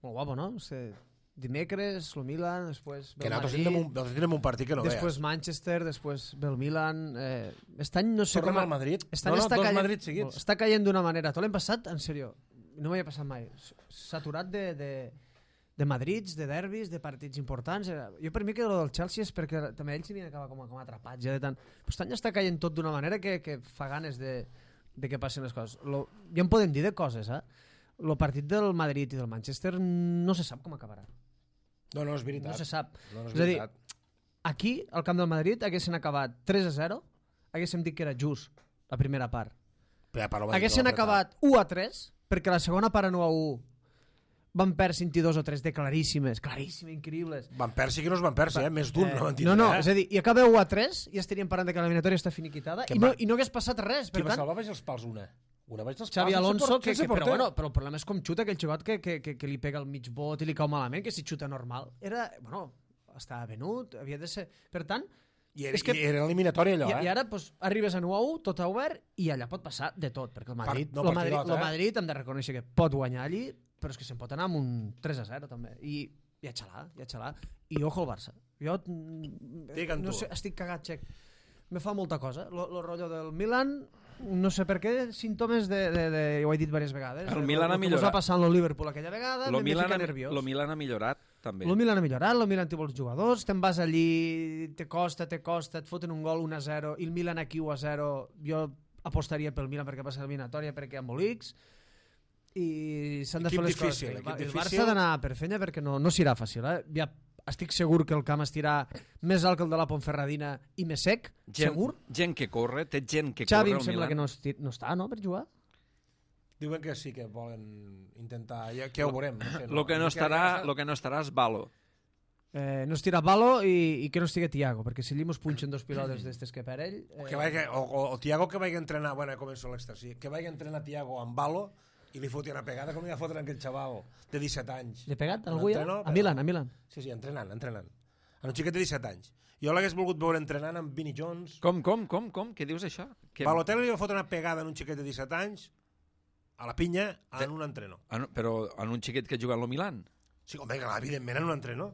[SPEAKER 3] molt guapo, no? O sigui, dimecres, el Milan, després ve el
[SPEAKER 2] nosaltres
[SPEAKER 3] Madrid,
[SPEAKER 2] tindrem un, nosaltres tindrem un partit que no
[SPEAKER 3] després
[SPEAKER 2] veas.
[SPEAKER 3] Manchester, després ve el Milan. Eh, este any no sé
[SPEAKER 2] Tornem
[SPEAKER 3] com...
[SPEAKER 2] al Madrid.
[SPEAKER 3] Este
[SPEAKER 2] No, no,
[SPEAKER 3] està
[SPEAKER 2] dos
[SPEAKER 3] caient,
[SPEAKER 2] Madrid seguits.
[SPEAKER 3] Està caient d'una manera. Tot l'hem passat, en sèrio, no m'havia passat mai. Saturat de, de, de Madrids, de derbis, de partits importants. Jo per mi que el del Chelsea és perquè també ells s'hi havien acabat com, com atrapats. Ja de tant. Però este any està caient tot d'una manera que, que fa ganes de, de que passin les coses. Lo, ja en podem dir de coses, eh? El partit del Madrid i del Manchester no se sap com acabarà.
[SPEAKER 2] No, no, és veritat.
[SPEAKER 3] No se sap.
[SPEAKER 2] No, no és,
[SPEAKER 3] és a dir,
[SPEAKER 2] veritat.
[SPEAKER 3] aquí, al camp del Madrid, haguessin acabat tres a zero, haguéssim dit que era just la primera part. Haguessin acabat u a tres, perquè la segona part en u a u van perdre vint-i-dos o tres de claríssimes, claríssimes, increïbles.
[SPEAKER 2] Van perdre, sí que no es van perdre, eh? Més d'un,
[SPEAKER 3] eh,
[SPEAKER 2] no van dir.
[SPEAKER 3] No, no,
[SPEAKER 2] eh?
[SPEAKER 3] és a dir, i acaba u a tres i estaríem parlant de que l'eliminatòria està finiquitada i no, i no hagués passat res.
[SPEAKER 2] Qui
[SPEAKER 3] per
[SPEAKER 2] va
[SPEAKER 3] tant,
[SPEAKER 2] salvar vaig els pals una? Una vaig els
[SPEAKER 3] Xavi
[SPEAKER 2] pals,
[SPEAKER 3] Alonso, que,
[SPEAKER 2] que,
[SPEAKER 3] que, però, bueno, però el problema és com xuta aquell jugat que, que, que, que li pega el mig bot i li cau malament, que si xuta normal. Era, bueno, estava venut, havia de ser... Per tant...
[SPEAKER 2] I era,
[SPEAKER 3] és que,
[SPEAKER 2] i era eliminatori allò,
[SPEAKER 3] i,
[SPEAKER 2] eh?
[SPEAKER 3] I ara pues, arribes a u a u, tot a obert, i allà pot passar de tot, perquè el Madrid,
[SPEAKER 2] no
[SPEAKER 3] el Madrid,
[SPEAKER 2] partidot,
[SPEAKER 3] el
[SPEAKER 2] eh?
[SPEAKER 3] Madrid hem de reconèixer que pot guanyar allí, però és que se'n pot anar amb un tres a zero també. I, i a xalar, i a xalar. I ojo al Barça. Jo no sé, estic cagat, Xec. Me fa molta cosa. Lo, lo rotllo del Milan, no sé per què, símptomes de, de, de ho he dit diverses vegades.
[SPEAKER 1] El Milan ha millorat.
[SPEAKER 3] Com va passar amb el Liverpool aquella vegada,
[SPEAKER 1] lo
[SPEAKER 3] me
[SPEAKER 1] Milan
[SPEAKER 3] fica
[SPEAKER 1] ha,
[SPEAKER 3] nerviós.
[SPEAKER 1] Lo Milan ha millorat, també.
[SPEAKER 3] El Milan ha millorat, el Milan té molts jugadors, te'n vas allí, te costa, te costa, et foten un gol un a zero, i el Milan aquí u a zero, jo apostaria pel Milan perquè passa l'eliminatòria, perquè hi ha embolics, i s'han de fer les
[SPEAKER 2] difícil,
[SPEAKER 3] coses.
[SPEAKER 2] El,
[SPEAKER 3] el Barça ha d'anar per fenya perquè no, no serà fàcil. Eh? Ja estic segur que el camp estirà més alt que el de la Ponferradina i més sec,
[SPEAKER 1] gent,
[SPEAKER 3] segur.
[SPEAKER 1] Gent que corre, té gent que
[SPEAKER 3] Xavi
[SPEAKER 1] corre
[SPEAKER 3] em sembla
[SPEAKER 1] Milan.
[SPEAKER 3] que no, esti, no està, no, per jugar?
[SPEAKER 2] Diuen que sí que volen intentar... Ja, que ja ho veurem. No sé,
[SPEAKER 1] no. Lo, que no estarà, lo que no estarà és Balo.
[SPEAKER 3] Eh, no estirà Balo i, i que no estigui Tiago, perquè si li mos punxen dos pilotes d'estes que per ell...
[SPEAKER 2] Eh... O, que vagi, o, o, o Tiago que vagi a entrenar... Bueno, començo l'extra, sí. Que vagi a entrenar Tiago amb Balo i li fotin una pegada com li va fotre aquell xaval de disset anys.
[SPEAKER 3] Li ha pegat algú ja? A Milan, a Milan.
[SPEAKER 2] Sí, sí, entrenant, entrenant. En un xiquet de disset anys. Jo l'hagués volgut veure entrenant amb Vinnie Jones.
[SPEAKER 1] Com, com, com, com? Què dius això? Que...
[SPEAKER 2] Balotelli li va fotre una pegada en un xiquet de disset anys a la pinya en un entreno.
[SPEAKER 1] Però en un xiquet que juga al Milan?
[SPEAKER 2] Sí, home, evidentment en un entreno.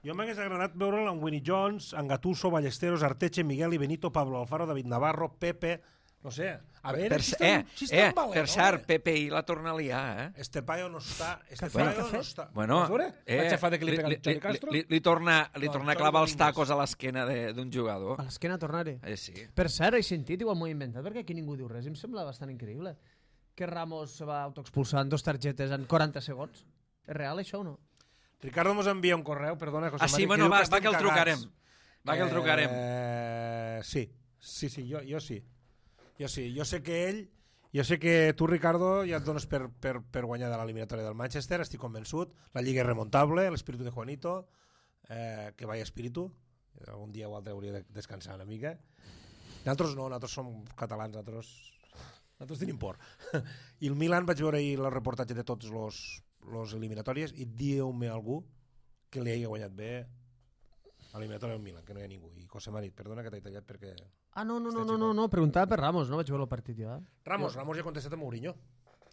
[SPEAKER 2] Jo m'hagués agradat veure'l amb Winnie Jones, amb Gattuso, Ballesteros, Arteche, Miguel i Benito, Pablo Alfaro, David Navarro, Pepe... No sé, a veure
[SPEAKER 1] per,
[SPEAKER 2] si està,
[SPEAKER 1] eh,
[SPEAKER 2] si està
[SPEAKER 1] eh,
[SPEAKER 2] en valent,
[SPEAKER 1] per cert, Pepe i la torna a liar, eh?
[SPEAKER 2] Estepaio no està... Estepaio no està...
[SPEAKER 1] Bueno,
[SPEAKER 2] eh, la xafada que li pega el Xavi Castro?
[SPEAKER 1] Li, li, li torna, li no, torna a clavar els tacos a l'esquena d'un jugador.
[SPEAKER 3] A l'esquena tornar-hi?
[SPEAKER 1] Eh, sí.
[SPEAKER 3] Per cert, he sentit, igual m'ho he inventat, perquè aquí ningú diu res, i em sembla bastant increïble que Ramos se va autoexpulsar en dos targetes en quaranta segons. És real, això o no?
[SPEAKER 2] Ricardo mos envia un correu, perdona, José
[SPEAKER 1] ah, sí,
[SPEAKER 2] Mari,
[SPEAKER 1] bueno,
[SPEAKER 2] que
[SPEAKER 1] va, va que el trucarem. Va que el trucarem.
[SPEAKER 2] Eh, sí, sí, sí, jo, jo sí. Jo sí, jo sé que ell, jo sé que tu, Ricardo, ja et dones per, per, per guanyar de l'eliminatòria del Manchester, estic convençut, la lliga és remontable, l'espíritu de Juanito, eh, que vaya espíritu, algun dia o altre hauria de descansar una mica. Nosaltres no, nosaltres som catalans, nosaltres, nosaltres tenim por. I el Milan, vaig veure ahir el reportatge de tots los, los eliminatòries i dieu-me algú que li hagi guanyat bé a l'eliminatòria del Milan, que no hi ha ningú. I José Marit, perdona que t'he tallat perquè...
[SPEAKER 3] Ah, no, no, no, no, no, no, preguntava per Ramos, no vaig veure el partit jo. Eh?
[SPEAKER 2] Ramos, Ramos ja ha contestat a Mourinho.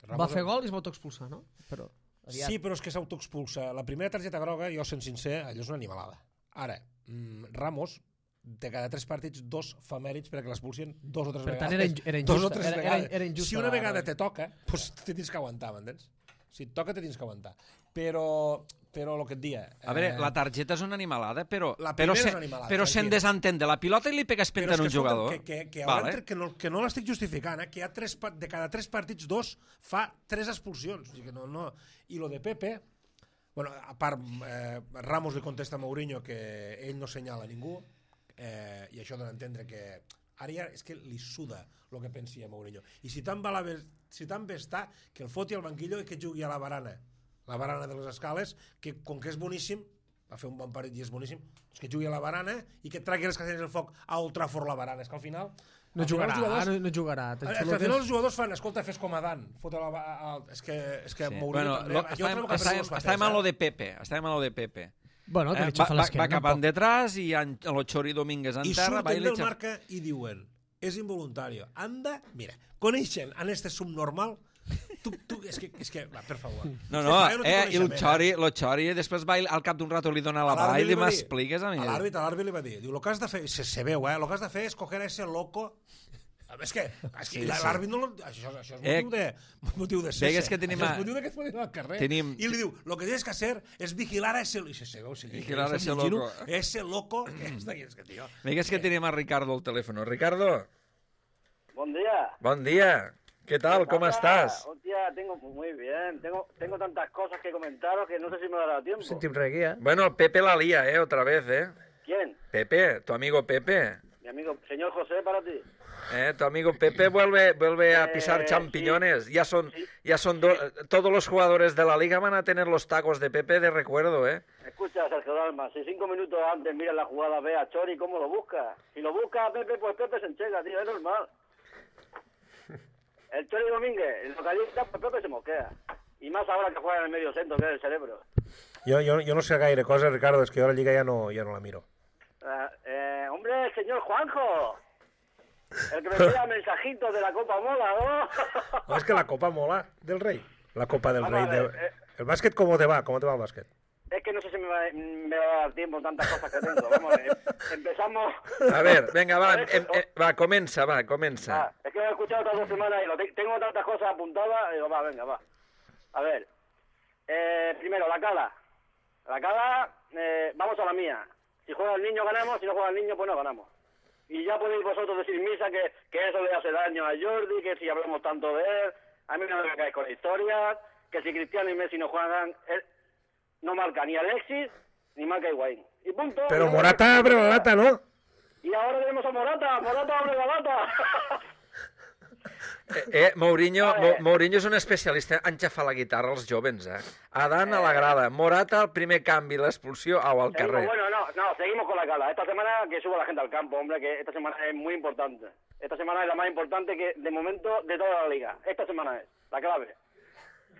[SPEAKER 2] Ramos
[SPEAKER 3] va fer gol i es va autoexpulsar, no? Però,
[SPEAKER 2] aviat. Sí, però és que s'autoexpulsa. La primera targeta groga, jo sent sincer, allò és una animalada. Ara, mm, Ramos, de cada tres partits, dos fa mèrits perquè l'expulsien dos o tres
[SPEAKER 3] per
[SPEAKER 2] vegades.
[SPEAKER 3] Per tant, era, injusta, era injusta.
[SPEAKER 2] Dos o tres
[SPEAKER 3] era,
[SPEAKER 2] vegades.
[SPEAKER 3] Era, era injusta
[SPEAKER 2] si una vegada te toca, doncs te tens que aguantar, m'entens? Si et toca, te tens que aguantar. Però, però el que et dia...
[SPEAKER 1] A veure, eh... la targeta és una animalada, però,
[SPEAKER 2] però,
[SPEAKER 1] se,
[SPEAKER 2] animalada,
[SPEAKER 1] però se'n desentén de la pilota i li pegues penta en un jugador.
[SPEAKER 2] Que, que, que, vale. entre, que no, que no l'estic justificant, eh? Que hi ha tres, de cada tres partits, dos fa tres expulsions. O sigui que no, no... I lo de Pepe... Bueno, a part, eh, Ramos li contesta a Mourinho que ell no senyala a ningú, eh, i això dona a entendre que ara ja és que li suda el que pensi a Mourinho. I si tan, la, si tan bé està, que el foti al banquillo i que jugui a la barana, la barana de les escales, que com que és boníssim, va fer un bon parit i és boníssim, és que jugui a la barana i que tragui les cadenes del foc a Old Trafford la barana. És que al final...
[SPEAKER 3] No
[SPEAKER 2] al
[SPEAKER 3] jugarà,
[SPEAKER 2] final jugadors,
[SPEAKER 3] no, no jugarà.
[SPEAKER 2] Al, al final els jugadors fan, escolta, fes com a Dan. Fotre la, a, a, és que, és que sí. Mourinho...
[SPEAKER 1] Bueno, lo, estàvem, estàvem, estàvem a lo de Pepe, estàvem a lo de Pepe.
[SPEAKER 3] Bueno, que
[SPEAKER 1] eh,
[SPEAKER 3] li xafa
[SPEAKER 1] va,
[SPEAKER 3] l'esquena.
[SPEAKER 1] Va cap en detrás i en, en lo Chori Domínguez en
[SPEAKER 2] I
[SPEAKER 1] terra...
[SPEAKER 2] I surten del marca i diuen, és involuntari. Anda, mira, coneixen en este subnormal... Tu, tu, és que, és que va, per favor.
[SPEAKER 1] No, no, no eh, i el Chori, lo Chori després va al cap d'un rato li dona la bala i li m'expliques a mi.
[SPEAKER 2] A l'àrbit, a l'àrbit li va dir, diu, lo que has de fer, se, se veu, eh, lo que has de fer és coger a ese loco... És que, és que sí, l'àrbit no... Això, això és motiu de, motiu de ser.
[SPEAKER 1] Que tenim
[SPEAKER 2] això és motiu de que es posin al carrer.
[SPEAKER 1] Tenim...
[SPEAKER 2] I li diu, lo que tienes que hacer es vigilar a ese... I se veu, se
[SPEAKER 1] vigilar a ese loco.
[SPEAKER 2] Ese loco que és d'aquí, és que, tio...
[SPEAKER 1] Veigues que tenim a Ricardo al teléfono. Ricardo.
[SPEAKER 4] Bon dia.
[SPEAKER 1] Bon dia. ¿Qué tal? ¿Cómo estás?
[SPEAKER 4] Hostia, tengo muy bien. Tengo, tengo tantas cosas que comentaros que no sé si me dará tiempo.
[SPEAKER 3] Sentim reguía.
[SPEAKER 1] Bueno, el Pepe la lía, ¿eh? Otra vez, ¿eh?
[SPEAKER 4] ¿Quién?
[SPEAKER 1] Pepe, tu amigo Pepe.
[SPEAKER 4] Mi amigo, señor José, para ti.
[SPEAKER 1] Eh, tu amigo Pepe vuelve, vuelve a pisar eh, champiñones. Sí, ya son, sí, ya son do, sí. Todos los jugadores de la liga van a tener los tacos de Pepe de recuerdo, ¿eh?
[SPEAKER 4] Escucha, Sergio Dalma, si cinco minutos antes mira la jugada, ve a Chori cómo lo busca. Si lo busca a Pepe, pues Pepe se enchega, tío, es normal. El Chori Domínguez, el localista, pues Pepe se moquea. Y más ahora que juega en el medio centro, que es el cerebro.
[SPEAKER 2] Yo, yo, yo no sé gaire cosas, Ricardo, es que yo la liga ya no, ya no la miro.
[SPEAKER 4] Uh, eh, hombre, el señor Juanjo. El que me envía mensajitos de la Copa Mola, ¿no?
[SPEAKER 2] No, es que la Copa Mola del Rey. La Copa del Vamos Rey. Ver, del... eh... ¿El básquet cómo te va? ¿Cómo te va el básquet?
[SPEAKER 4] Es que no sé si me va, me va a dar tiempo tantas cosas que tengo. Vamos, eh, empezamos...
[SPEAKER 1] A ver, venga, va, em, em, va, comienza, va, comienza.
[SPEAKER 4] Ah, es que he escuchado todas las semanas y lo te tengo tantas cosas apuntadas, y digo, va, venga, va. A ver, eh, primero, la cala. La cala, eh, vamos a la mía. Si juega el niño ganamos, si no juega el niño, pues no ganamos. Y ya podéis vosotros decir misa que, que eso le hace daño a Jordi, que si hablamos tanto de él, a mí no me cae con historias, que si Cristiano y Messi no juegan, él no marca ni Alexis, ni marca Higuaín. Y punto.
[SPEAKER 2] Pero Morata abre la lata, ¿no?
[SPEAKER 4] Y ahora tenemos a Morata, Morata abre la lata.
[SPEAKER 1] Eh, eh, Mourinho, Mo, Mourinho és un especialista en xafar la guitarra als jovens, eh? Adán a la grada, Morata al primer canvi, l'expulsió au al carrer.
[SPEAKER 4] Seguimos, bueno, no, no, seguimos con la cala. Esta semana que suba la gente al campo, hombre, que esta semana es muy importante. Esta semana es la más importante que de momento de toda la liga. Esta semana es la clave.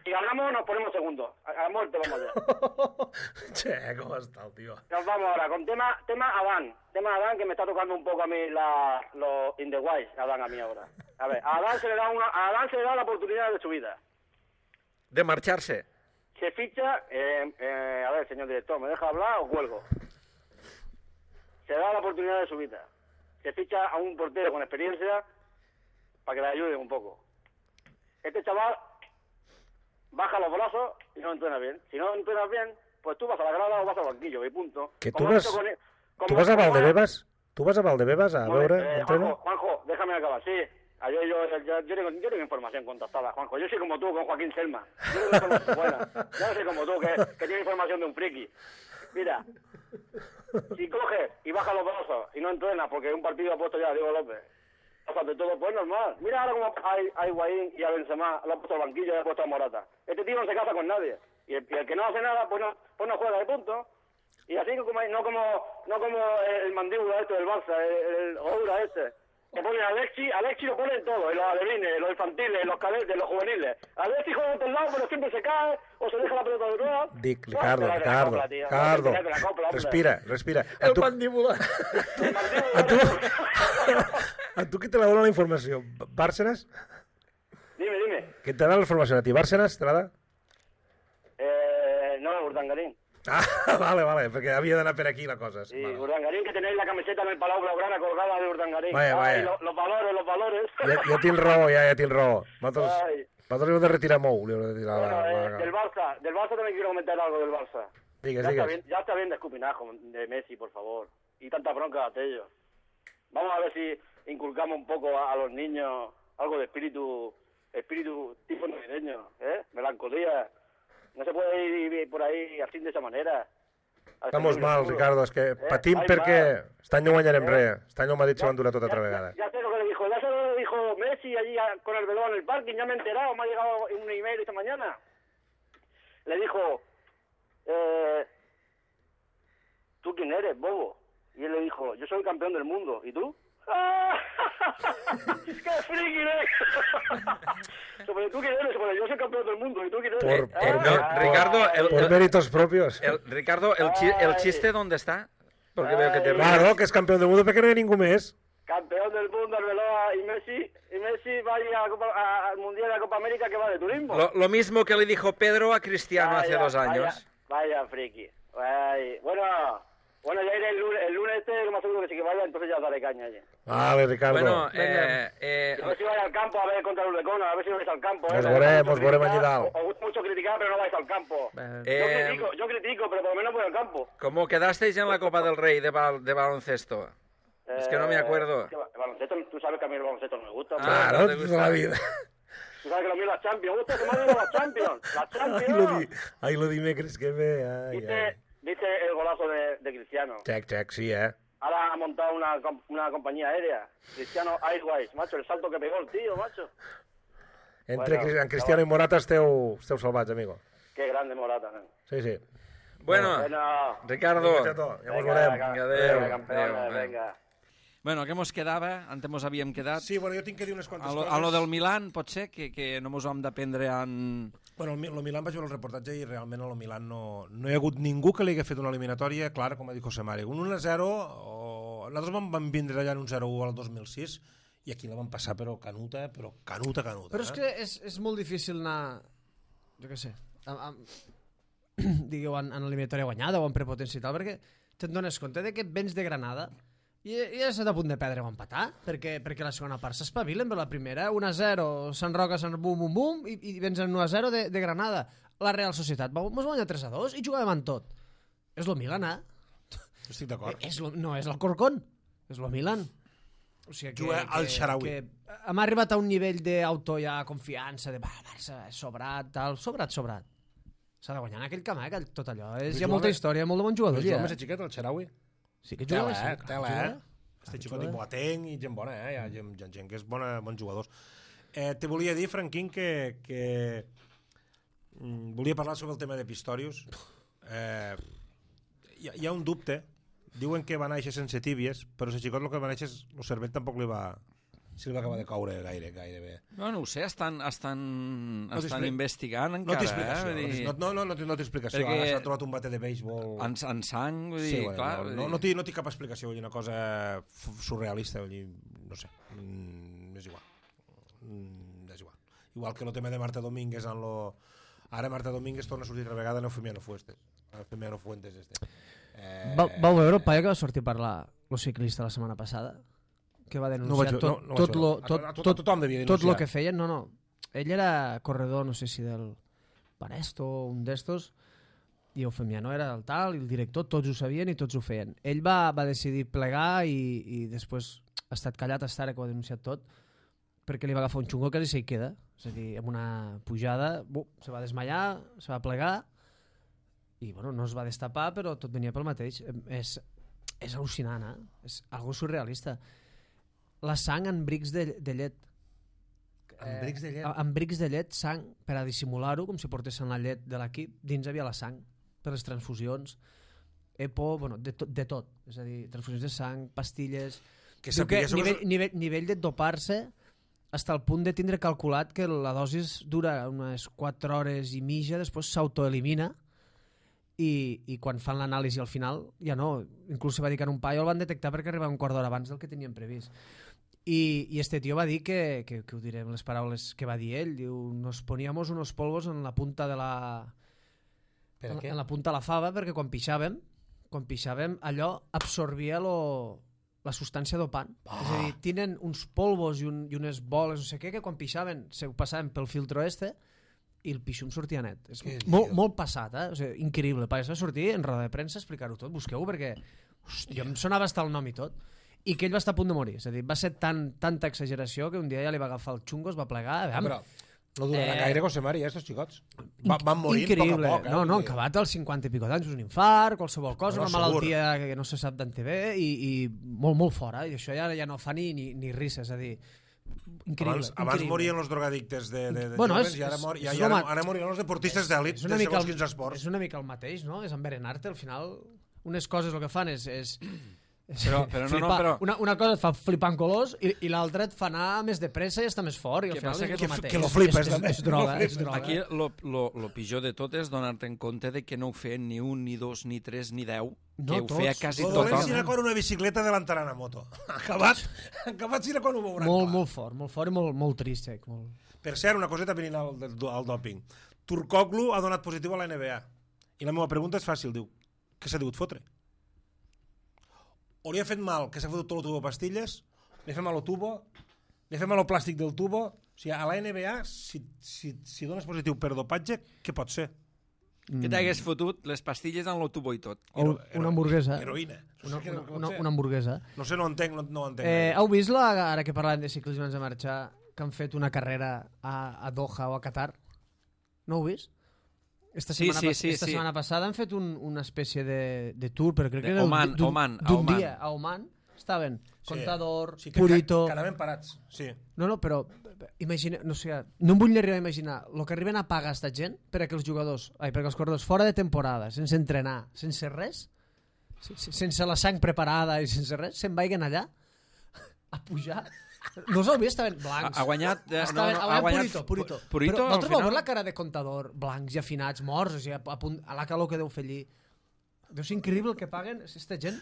[SPEAKER 4] si ganamos nos ponemos segundos. A, a muerte vamos allá.
[SPEAKER 2] Che, ¿cómo está el tío?
[SPEAKER 4] Nos vamos ahora con tema tema Adán. Tema Adán que me está tocando un poco a mí la, los in the wise, Adán a mí ahora. A ver, a Adán se le da una, a Adán se le da la oportunidad de su vida.
[SPEAKER 1] De marcharse.
[SPEAKER 4] Se ficha, eh, eh, a ver, señor director, ¿me deja hablar o cuelgo? Se da la oportunidad de su vida. Se ficha a un portero con experiencia para que le ayude un poco. Este chaval baja los brazos y no entrena bien. Si no entrenas bien, pues tú vas a la grada o vas al banquillo y punto.
[SPEAKER 2] Que tú vas, con el, ¿tú vas a Valdebebas? ¿Tú vas a Valdebebas a veure?
[SPEAKER 4] Eh, Juanjo, Juanjo, déjame acabar, sí. Yo, yo, yo, yo, yo, tengo, yo tengo información contactada, Juanjo. Yo soy como tú, con Joaquín Selma. Yo tengo información buena. Yo no soy como tú, que, que tiene información de un friki. Mira, si coges y bajas los brazos y no entrenas porque un partido ha puesto ya a Diego López, de todo, pues normal. Mira ahora como hay, hay Higuaín y a Benzema lo ha puesto al banquillo y lo ha puesto a Morata. Este tío no se casa con nadie. Y el, y el que no hace nada, pues no, pues no juega de punto. Y así como, no como no como el mandíbula este del Barça, el, el Oura este. Que pone a Alexi, Alexi lo pone en todo, en los alevines, los infantiles, los cadetes, los juveniles. Alexi juega en todos lados, pero siempre se cae o se deja la pelota de nuevo.
[SPEAKER 2] Dic, Ricardo, Ricardo, copla, Ricardo, copla, respira, respira.
[SPEAKER 3] El tu... mandíbula.
[SPEAKER 4] El mandíbula.
[SPEAKER 2] A tu, a tu qui te la dona la informació? Bárcenas?
[SPEAKER 4] Dime, dime.
[SPEAKER 2] Qui te dona la informació? A ti, Bárcenas, te la da?
[SPEAKER 4] Eh, no, Urdangarín.
[SPEAKER 2] Ah, vale, vale, perquè havia d'anar per aquí la cosa.
[SPEAKER 4] Sí,
[SPEAKER 2] vale.
[SPEAKER 4] Urdangarín, que tenéis la camiseta en el Palau Blaugrana colgada de Urdangarín.
[SPEAKER 2] Vaya, vaya.
[SPEAKER 4] Ay, lo, los valores, los valores.
[SPEAKER 2] Ja, ja tinc raó, ja, ja tinc raó. Nosaltres, nosaltres li hem de retirar Mou. Li hem de retirar
[SPEAKER 4] bueno,
[SPEAKER 2] la,
[SPEAKER 4] eh,
[SPEAKER 2] la...
[SPEAKER 4] del Barça, del Barça también quiero comentar algo del Barça.
[SPEAKER 2] Digues,
[SPEAKER 4] ya,
[SPEAKER 2] digues.
[SPEAKER 4] está bien, ya está bien de escupinajo de Messi, por favor. Y tanta bronca de ellos. Vamos a ver si inculcamos un poco a, a los niños algo de espíritu, espíritu tipo navideño, ¿eh? Melancolía. No se puede ir, ir por ahí así de esa manera.
[SPEAKER 2] Estamos mal, Ricardo, és que eh, patim perquè aquest any no guanyarem eh? res. Aquest any el Madrid s'ho va endurar tot altra vegada.
[SPEAKER 4] Ya, ya sé lo que le dijo, ya sé lo que dijo Messi allí a, con el velón en el parking, ya me he enterado, me ha llegado un email esta mañana. Le dijo, eh, ¿tú quién eres, bobo? Y él le dijo, yo soy el campeón del mundo, ¿y tú? ¡Qué friki eres! Sobre tú quién eres, sobre yo soy campeón del mundo, ¿y tú quién eres?
[SPEAKER 2] Por, por,
[SPEAKER 1] eh, no,
[SPEAKER 2] por,
[SPEAKER 1] Ricardo, el,
[SPEAKER 2] por
[SPEAKER 1] el,
[SPEAKER 2] méritos propios.
[SPEAKER 1] El, Ricardo, el, chi, el chiste ¿dónde está? Porque Ay. veo que te ríes.
[SPEAKER 2] Claro, que és campió del mundo perquè no hi ha ningú més.
[SPEAKER 4] Campeón del mundo, Arbeloa y Messi, y Messi va a ir a la Copa, a, al Mundial de la Copa América que va de turismo.
[SPEAKER 1] Lo, lo mismo que le dijo Pedro a Cristiano vaya, hace dos años.
[SPEAKER 4] Vaya, vaya friki. Vaya. Bueno, bueno, ya iré el lunes, el lunes este, que más seguro que sí que vaya, entonces ya daré caña allí.
[SPEAKER 2] Vale, Ricardo.
[SPEAKER 1] Bueno, eh, eh,
[SPEAKER 4] a ver si vais al campo a ver contra el Ulecona, a ver si vais al campo.
[SPEAKER 2] Nos
[SPEAKER 4] eh,
[SPEAKER 2] veurem, nos veurem allí dalt.
[SPEAKER 4] Os gusta mucho criticar, pero no vais al campo.
[SPEAKER 1] Eh,
[SPEAKER 4] yo, critico, yo critico, pero por lo menos voy al campo.
[SPEAKER 1] ¿Cómo quedasteis en la Copa del Rey de, bal, de baloncesto? Eh, es que no me acuerdo.
[SPEAKER 4] Es que el baloncesto, tú sabes que a mí el baloncesto no me gusta.
[SPEAKER 2] Ah, no, no toda la vida.
[SPEAKER 4] Tú sabes que lo mío es la Champions. ¿Gusta que me ha la Champions? La Champions.
[SPEAKER 2] Ahí lo, di, ahí lo dimecres que ve. Ay,
[SPEAKER 4] ¿Viste,
[SPEAKER 2] ay.
[SPEAKER 4] ¿Viste el golazo de, de Cristiano?
[SPEAKER 2] Check, check, sí, eh.
[SPEAKER 4] Ahora ha montado una, una compañía aérea. Cristiano Airways, macho, el salto que pegó el tío, macho.
[SPEAKER 2] Entre bueno, en Cristiano no. i Morata esteu, esteu salvats, amigo.
[SPEAKER 4] Qué grande Morata, ¿no?
[SPEAKER 2] Sí, sí.
[SPEAKER 1] Bueno,
[SPEAKER 4] bueno
[SPEAKER 1] Ricardo.
[SPEAKER 2] Ja mos veurem.
[SPEAKER 1] Adéu.
[SPEAKER 4] Campeones, venga.
[SPEAKER 1] Bueno, què mos quedava? Antes mos havíem quedat...
[SPEAKER 2] Sí, bueno, jo tinc que dir unes quantes
[SPEAKER 1] a lo,
[SPEAKER 2] coses.
[SPEAKER 1] A lo del Milan, pot ser, que, que no mos ho hem de prendre en...
[SPEAKER 2] Bueno, el, el Milan vaig veure el reportatge i realment el Milan no, no hi ha hagut ningú que li hagi fet una eliminatòria clara, com ha dit José Mari. Un un a zero, o... nosaltres vam, vam vindre allà en un zero a u al dos mil sis i aquí la vam passar però canuta, però canuta, canuta.
[SPEAKER 3] Però és
[SPEAKER 2] eh?
[SPEAKER 3] que és, és molt difícil anar, jo què sé, amb, amb, digueu, en, en eliminatòria guanyada o en prepotència i tal, perquè te'n dones compte de que vens de Granada i, i has estat a punt de perdre o empatar, perquè, perquè la segona part s'espavilen, però la primera, un a zero, Sant Roca, Sant Bum, Bum, Bum, i, i vens en un a zero de, de Granada. La Real Societat mos guanya tres a dos i jugàvem en tot. És lo Milan, eh?
[SPEAKER 2] Estic d'acord.
[SPEAKER 3] És lo, no és l'Alcorcón, és lo Milan. O sigui que,
[SPEAKER 2] juga al Xaraui.
[SPEAKER 3] Que hem arribat a un nivell d'auto ja confiança, de Barça, sobrat, tal, sobrat, sobrat. S'ha de guanyar en aquell camp, eh? Tot allò. És, hi ha molta història, molt de bon jugador.
[SPEAKER 2] El jugava més xiquet, el Xaraui?
[SPEAKER 3] Sí que jugava,
[SPEAKER 2] tela, eh?
[SPEAKER 3] sí.
[SPEAKER 2] Tela, eh? Este xicot i Boateng i gent bona, eh? Hi ha gent, gent, gent que és bona, bons jugadors. Eh, te volia dir, Franquín, que, que mm, volia parlar sobre el tema de Pistorius. Eh, hi, hi ha un dubte. Diuen que va néixer sense tíbies, però si xicot el que va néixer, el cervell tampoc li va, si li va acabar de coure gaire, gairebé.
[SPEAKER 1] No, no ho sé, estan, estan,
[SPEAKER 2] No
[SPEAKER 1] estan investigant
[SPEAKER 2] No
[SPEAKER 1] encara.
[SPEAKER 2] té explicació,
[SPEAKER 1] eh?
[SPEAKER 2] no, no, no, no, té- no té explicació.
[SPEAKER 1] Perquè-
[SPEAKER 2] Ara s'ha trobat un bate de béisbol...
[SPEAKER 1] En, en sang, vull dir,
[SPEAKER 2] Sí, bueno,
[SPEAKER 1] clar.
[SPEAKER 2] no,
[SPEAKER 1] vull
[SPEAKER 2] no,
[SPEAKER 1] dir-
[SPEAKER 2] no, té, no té cap explicació, vull dir, una cosa f- surrealista, vull dir, no sé, mm, és igual. Mm, és igual. Igual que el tema de Marta Domínguez en lo... Ara Marta Domínguez torna a sortir altra vegada en Eufemiano Fuentes. Eufemiano Fuentes este. Eh...
[SPEAKER 3] Va, vau veure el paio que va sortir a parlar el ciclista la setmana passada? Que va denunciar
[SPEAKER 2] No vaig,
[SPEAKER 3] tot,
[SPEAKER 2] no, no
[SPEAKER 3] tot,
[SPEAKER 2] vaig
[SPEAKER 3] lo,
[SPEAKER 2] veure.
[SPEAKER 3] tot,
[SPEAKER 2] A- a- a
[SPEAKER 3] tot,
[SPEAKER 2] tothom devia
[SPEAKER 3] tot
[SPEAKER 2] denunciar.
[SPEAKER 3] lo que feien. No, no. Ell era corredor, no sé si del Panesto o un d'estos, i Eufemiano era el tal, i el director, tots ho sabien i tots ho feien. Ell va, va decidir plegar i, i després ha estat callat hasta ara que ho ha denunciat tot, perquè li va agafar un xungo que quasi s'hi queda. És a dir, amb una pujada, bu, se va desmaiar, se va plegar, i bueno, no es va destapar, però tot venia pel mateix. És, és al·lucinant, eh? És algo surrealista. La sang en brics de, de llet.
[SPEAKER 2] En brics de llet?
[SPEAKER 3] Eh, en brics de llet, sang, per a dissimular-ho, com si portessin la llet de l'equip, dins havia la sang, per les transfusions, EPO, bueno, de, to, de tot. És a dir, transfusions de sang, pastilles...
[SPEAKER 2] Que
[SPEAKER 3] Diu que
[SPEAKER 2] sapigués...
[SPEAKER 3] nivell, nivell, nivell de dopar-se fins al punt de tindre calculat que la dosis dura unes quatre hores i mitja, després s'autoelimina i, i quan fan l'anàlisi al final ja no, inclús se va dir que en un paio el van detectar perquè arribava un quart d'hora abans del que tenien previst. I, i este tio va dir que, que, que ho diré amb les paraules que va dir ell, diu, nos poníamos unos polvos en la punta de la
[SPEAKER 2] Per
[SPEAKER 3] en,
[SPEAKER 2] què?
[SPEAKER 3] en la punta de la fava perquè quan pixàvem quan pixàvem allò absorbia lo, la substància dopant.
[SPEAKER 2] Ah.
[SPEAKER 3] És a dir, tenen uns polvos i, un, i unes boles, no sé què, que quan pixaven se ho passaven pel filtro este i el pixum sortia net. És
[SPEAKER 2] Què
[SPEAKER 3] molt,
[SPEAKER 2] dius?
[SPEAKER 3] molt passat, eh? O sigui, increïble. Va sortir en roda de premsa a explicar-ho tot. Busqueu-ho perquè hòstia, jo em sonava estar el nom i tot. I que ell va estar a punt de morir. És a dir, va ser tan, tanta exageració que un dia ja li va agafar el xungo, es va plegar. Aviam,
[SPEAKER 2] Però no durarà
[SPEAKER 3] Eh,
[SPEAKER 2] gaire, José Mari, estos xicots. Va, van morint a poc a
[SPEAKER 3] increïble.
[SPEAKER 2] poc. Eh?
[SPEAKER 3] No, no,
[SPEAKER 2] Vull
[SPEAKER 3] han
[SPEAKER 2] dir,
[SPEAKER 3] acabat als cinquanta i pico d'anys, un infart, qualsevol cosa,
[SPEAKER 2] No,
[SPEAKER 3] una
[SPEAKER 2] segur.
[SPEAKER 3] malaltia que no se sap d'on te ve i, i molt, molt fora. I això ja, ja no fa ni, ni, ni risses. És a dir, increïble.
[SPEAKER 2] Abans, abans
[SPEAKER 3] increïble.
[SPEAKER 2] morien els drogadictes de, de, de
[SPEAKER 3] Bueno,
[SPEAKER 2] joves
[SPEAKER 3] és-
[SPEAKER 2] i ara,
[SPEAKER 3] és-
[SPEAKER 2] mor,
[SPEAKER 3] és
[SPEAKER 2] ja,
[SPEAKER 3] el
[SPEAKER 2] ja, ara,
[SPEAKER 3] mat-
[SPEAKER 2] ara moriran els deportistes d'èlit
[SPEAKER 3] És
[SPEAKER 2] de
[SPEAKER 3] una mica
[SPEAKER 2] segons
[SPEAKER 3] el-
[SPEAKER 2] quins esports.
[SPEAKER 3] És una mica el mateix, no? És enverenar-te, al final unes coses el que fan és... és
[SPEAKER 1] Però- però no, no,
[SPEAKER 3] flipar.
[SPEAKER 1] però-
[SPEAKER 3] Una, una cosa et fa flipar en colors i, i l'altra et fa anar més de pressa i estar més fort i al
[SPEAKER 1] Què
[SPEAKER 3] final
[SPEAKER 1] passa
[SPEAKER 3] és
[SPEAKER 1] que-
[SPEAKER 3] el mateix.
[SPEAKER 2] que lo flipes,
[SPEAKER 3] és,
[SPEAKER 2] també.
[SPEAKER 3] és, és droga,
[SPEAKER 2] Lo
[SPEAKER 3] és droga.
[SPEAKER 1] Aquí lo, lo, lo pitjor de tot és donar-te en compte de que no ho feien ni un, ni dos, ni tres, ni deu,
[SPEAKER 3] No,
[SPEAKER 1] que ho
[SPEAKER 3] tots.
[SPEAKER 1] feia quasi
[SPEAKER 2] Lo
[SPEAKER 1] tothom.
[SPEAKER 2] dolent serà quan una bicicleta adelantarà una moto. Acabat, acabat serà quan ho veuran
[SPEAKER 3] Molt,
[SPEAKER 2] clar.
[SPEAKER 3] molt fort, molt fort i molt, molt trist. Eh? Molt...
[SPEAKER 2] Per cert, una coseta venint al, al dòping. Turkoglu ha donat positiu a la N B A. I la meva pregunta és fàcil, diu, què s'ha digut fotre? O li ha fet mal, que s'ha fotut tot el tubo de pastilles, li ha fet mal el tubo, li ha fet mal el plàstic del tubo. O sigui, a la N B A, si, si, si dones positiu per dopatge, què pot ser?
[SPEAKER 1] Que t'hagués fotut les pastilles en l'autubo i tot.
[SPEAKER 3] O una hamburguesa.
[SPEAKER 2] Heroïna.
[SPEAKER 3] Una,
[SPEAKER 2] Què
[SPEAKER 3] una,
[SPEAKER 2] pot
[SPEAKER 3] una,
[SPEAKER 2] ser?
[SPEAKER 3] una hamburguesa.
[SPEAKER 2] No sé, no ho entenc, no, no ho entenc.
[SPEAKER 3] Eh,
[SPEAKER 2] gaire.
[SPEAKER 3] heu vist, la, ara que parlàvem de ciclisme abans de marxar, que han fet una carrera a, a Doha o a Qatar? No ho heu vist? Esta
[SPEAKER 1] Sí,
[SPEAKER 3] setmana,
[SPEAKER 1] sí,
[SPEAKER 3] pas-
[SPEAKER 1] sí,
[SPEAKER 3] esta
[SPEAKER 1] sí.
[SPEAKER 3] setmana passada han fet un, una espècie de, de tour, però crec
[SPEAKER 1] De
[SPEAKER 3] que era
[SPEAKER 1] Oman,
[SPEAKER 3] d'un-
[SPEAKER 1] Oman, a
[SPEAKER 3] d'un
[SPEAKER 1] Oman.
[SPEAKER 3] dia a Oman. Estaven
[SPEAKER 2] Sí.
[SPEAKER 3] Contador,
[SPEAKER 2] Sí, que,
[SPEAKER 3] Purito...
[SPEAKER 2] Que, que anaven parats, sí.
[SPEAKER 3] No, no, però imagina, no sé, no em vull ni arribar a imaginar el que arriben a pagar esta gent per a que els jugadors, ai, perquè els corredors fora de temporada, sense entrenar, sense res, sense, sense la sang preparada i sense res, se'n vagin allà a pujar. No us heu vist? Estaven
[SPEAKER 1] Ha,
[SPEAKER 3] blancs.
[SPEAKER 1] ha guanyat... eh,
[SPEAKER 3] Estaven,
[SPEAKER 1] no, no, ha guanyat
[SPEAKER 3] Purito, Purito.
[SPEAKER 1] Purito,
[SPEAKER 3] Però
[SPEAKER 1] al
[SPEAKER 3] vosaltres vau
[SPEAKER 1] final?
[SPEAKER 3] veure la cara de Contador, blancs i afinats, morts, o sigui, a, a, punt, a la calor que deu fer allí. Deu ser increïble el que paguen aquesta gent.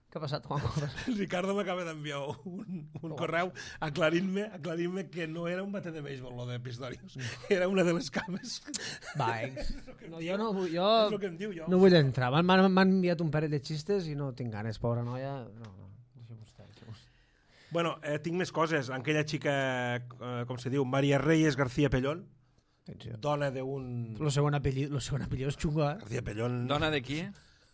[SPEAKER 3] Què ha passat, Juan?
[SPEAKER 2] El Ricardo m'acaba d'enviar un, un correu aclarint-me aclarint que no era un bate de béisbol, lo de Pistorius. Era una de les cames.
[SPEAKER 3] Va, eh? No, jo no, vull- jo
[SPEAKER 2] És el que em diu jo.
[SPEAKER 3] no vull entrar. M'han- M'han m'han enviat un parell de xistes i no tinc ganes, pobra noia. No, no, deixem-ho estar, deixem-ho estar.
[SPEAKER 2] Bueno, eh, tinc més coses. Aquella xica, eh, com se diu, María Reyes García Pellón,
[SPEAKER 3] Atenció.
[SPEAKER 2] dona d'un...
[SPEAKER 3] Lo segon apellido, lo segon apellido és xungo, eh?
[SPEAKER 2] García Pellón...
[SPEAKER 1] Dona de qui?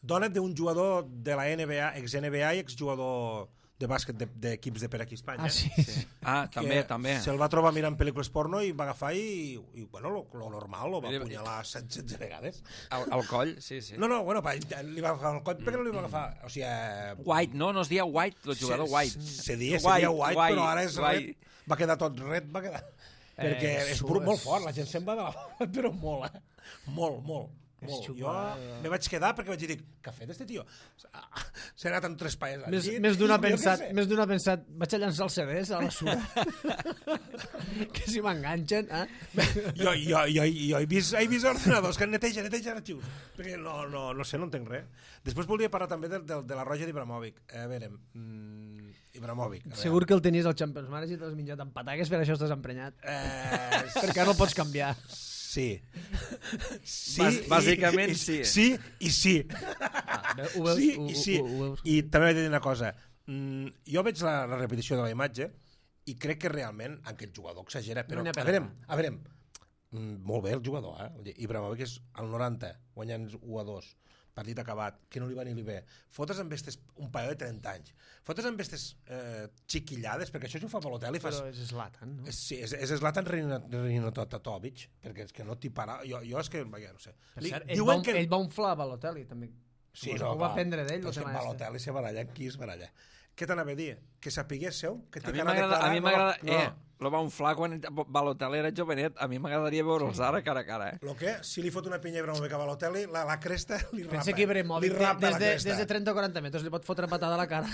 [SPEAKER 2] Dona d'un jugador de la N B A, ex-N B A i exjugador de bàsquet de- d'equips de, de per aquí a Espanya.
[SPEAKER 3] Ah, sí.
[SPEAKER 1] Sí. Ah, també,
[SPEAKER 2] que
[SPEAKER 1] també.
[SPEAKER 2] Se'l va trobar mirant pel·lícules porno i va agafar i, i bueno, lo, lo normal, lo va
[SPEAKER 1] Mira,
[SPEAKER 2] apunyalar setze vegades.
[SPEAKER 1] Al, al coll, sí, sí.
[SPEAKER 2] No, no, bueno, pa, li va agafar el coll, perquè no li va agafar... O sigui... eh,
[SPEAKER 1] White, no? No es dia White, el jugador
[SPEAKER 2] se,
[SPEAKER 1] White.
[SPEAKER 2] Se dia, se dia White,
[SPEAKER 1] White,
[SPEAKER 2] però ara és
[SPEAKER 1] White.
[SPEAKER 2] red. Va quedar tot red, va quedar... perquè
[SPEAKER 3] Eh,
[SPEAKER 2] és
[SPEAKER 3] su-
[SPEAKER 2] brut, molt fort, la gent se'n va de la... però molt, eh? Molt, molt. Molt. Jo me vaig quedar perquè vaig dir, què ha fet este tio? S'ha anat amb tres paes al
[SPEAKER 3] Més,
[SPEAKER 2] llit.
[SPEAKER 3] més d'una ha pensat, més d'una ha pensat, vaig a llançar els C Ds a la sura. Que si m'enganxen, eh?
[SPEAKER 2] Jo, jo, jo, jo he vist, he vist ordenadors que neteja, neteja arxius. Perquè no, no, no sé, no entenc res. Després volia parlar també de, de, de la roja d'Ibrahimovic. A veure, mm, Ibrahimovic. A
[SPEAKER 3] Segur que el tenies al Champions Manager i t'has menjat amb pataques, per això estàs emprenyat.
[SPEAKER 2] Eh,
[SPEAKER 3] Perquè no el pots canviar.
[SPEAKER 2] Sí. Sí,
[SPEAKER 1] Bàs, bàsicament
[SPEAKER 2] i,
[SPEAKER 1] sí.
[SPEAKER 2] Sí i sí.
[SPEAKER 3] Ah, ho veus,
[SPEAKER 2] Sí
[SPEAKER 3] ho,
[SPEAKER 2] i sí.
[SPEAKER 3] Ho, ho, ho veus.
[SPEAKER 2] I també vaig dir una cosa. Mm, jo veig la, la repetició de la imatge i crec que realment aquest jugador exagera, però
[SPEAKER 3] No n'hi ha
[SPEAKER 2] a
[SPEAKER 3] per
[SPEAKER 2] veure,
[SPEAKER 3] anar.
[SPEAKER 2] a veure, mm, molt bé el jugador, eh? Vull dir, Ibrahimovic és al noranta, guanyant u a dos, partit acabat, que no li va ni li ve. Fotes amb estes, un paio de trenta anys. Fotes amb estes eh, xiquillades, perquè això si ho fa Balotelli fas...
[SPEAKER 3] Però és Zlatan, no?
[SPEAKER 2] És, sí, és, és Zlatan Rinatotovic, perquè és que no t'hi para... Jo, jo és que, vaja, no sé.
[SPEAKER 3] Per
[SPEAKER 2] Li,
[SPEAKER 3] cert, ell,
[SPEAKER 2] diuen
[SPEAKER 3] va,
[SPEAKER 2] que...
[SPEAKER 3] ell va unflar Balotelli, també.
[SPEAKER 2] Sí,
[SPEAKER 3] ho,
[SPEAKER 2] no,
[SPEAKER 3] ho va
[SPEAKER 2] clar.
[SPEAKER 3] prendre d'ell,
[SPEAKER 2] Però
[SPEAKER 3] el
[SPEAKER 2] és que
[SPEAKER 3] tema este.
[SPEAKER 2] Balotelli se baralla, qui es baralla? Què t'anava a dir? Que sapiguéssiu que
[SPEAKER 1] A
[SPEAKER 2] té
[SPEAKER 1] mi
[SPEAKER 2] cara de
[SPEAKER 1] m'agrada... A mi
[SPEAKER 2] declarar...
[SPEAKER 1] m'agrada...
[SPEAKER 2] No,
[SPEAKER 1] Eh, lo va unflar quan Balotelli era jovenet. A mi m'agradaria veure'ls ara cara a cara, eh?
[SPEAKER 2] Lo que, si li fot una pinya a Ibrahimovic a Balotelli, la, la cresta li rapa.
[SPEAKER 3] Pensa que Ibrahimovic
[SPEAKER 2] li rapa
[SPEAKER 3] des,
[SPEAKER 2] la
[SPEAKER 3] de,
[SPEAKER 2] cresta.
[SPEAKER 3] des de trenta o quaranta metres li pot fotre patada a la cara.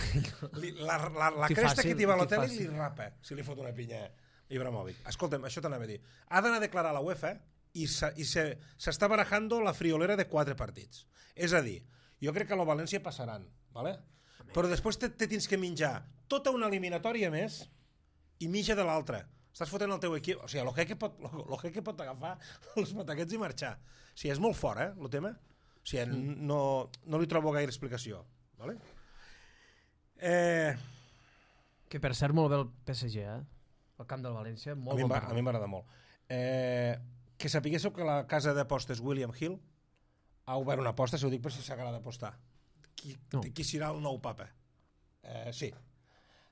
[SPEAKER 2] Li, la, la, la
[SPEAKER 3] Que
[SPEAKER 2] cresta
[SPEAKER 3] fàcil,
[SPEAKER 2] que té Balotelli
[SPEAKER 3] que
[SPEAKER 2] li
[SPEAKER 3] fàcil.
[SPEAKER 2] rapa si li fot una pinya a Ibrahimovic. Escolta'm, això t'anava a dir. Ha d'anar a declarar a la UEFA i s'està barajando la friolera de quatre partits. És a dir, jo crec que a la València passaran, ¿vale? Però després te, te tens que menjar tota una eliminatòria més i mitja de l'altra. Estàs fotent el teu equip... O sigui, el Jeque pot, lo Jeque pot agafar els pataquets i marxar. O sigui, és molt fort, eh, el tema. O sigui, no, no li trobo gaire explicació. Vale? Eh...
[SPEAKER 3] Que per cert molt bé el P S G, eh? El camp del València, molt
[SPEAKER 2] A mi,
[SPEAKER 3] bon
[SPEAKER 2] m'ha-
[SPEAKER 3] camp.
[SPEAKER 2] a mi m'agrada molt. Eh, que sapiguéssiu que la casa d'apostes William Hill ha obert una aposta, si ho dic per si s'agrada apostar. Qui,
[SPEAKER 3] No.
[SPEAKER 2] qui serà el nou papa? Eh, sí.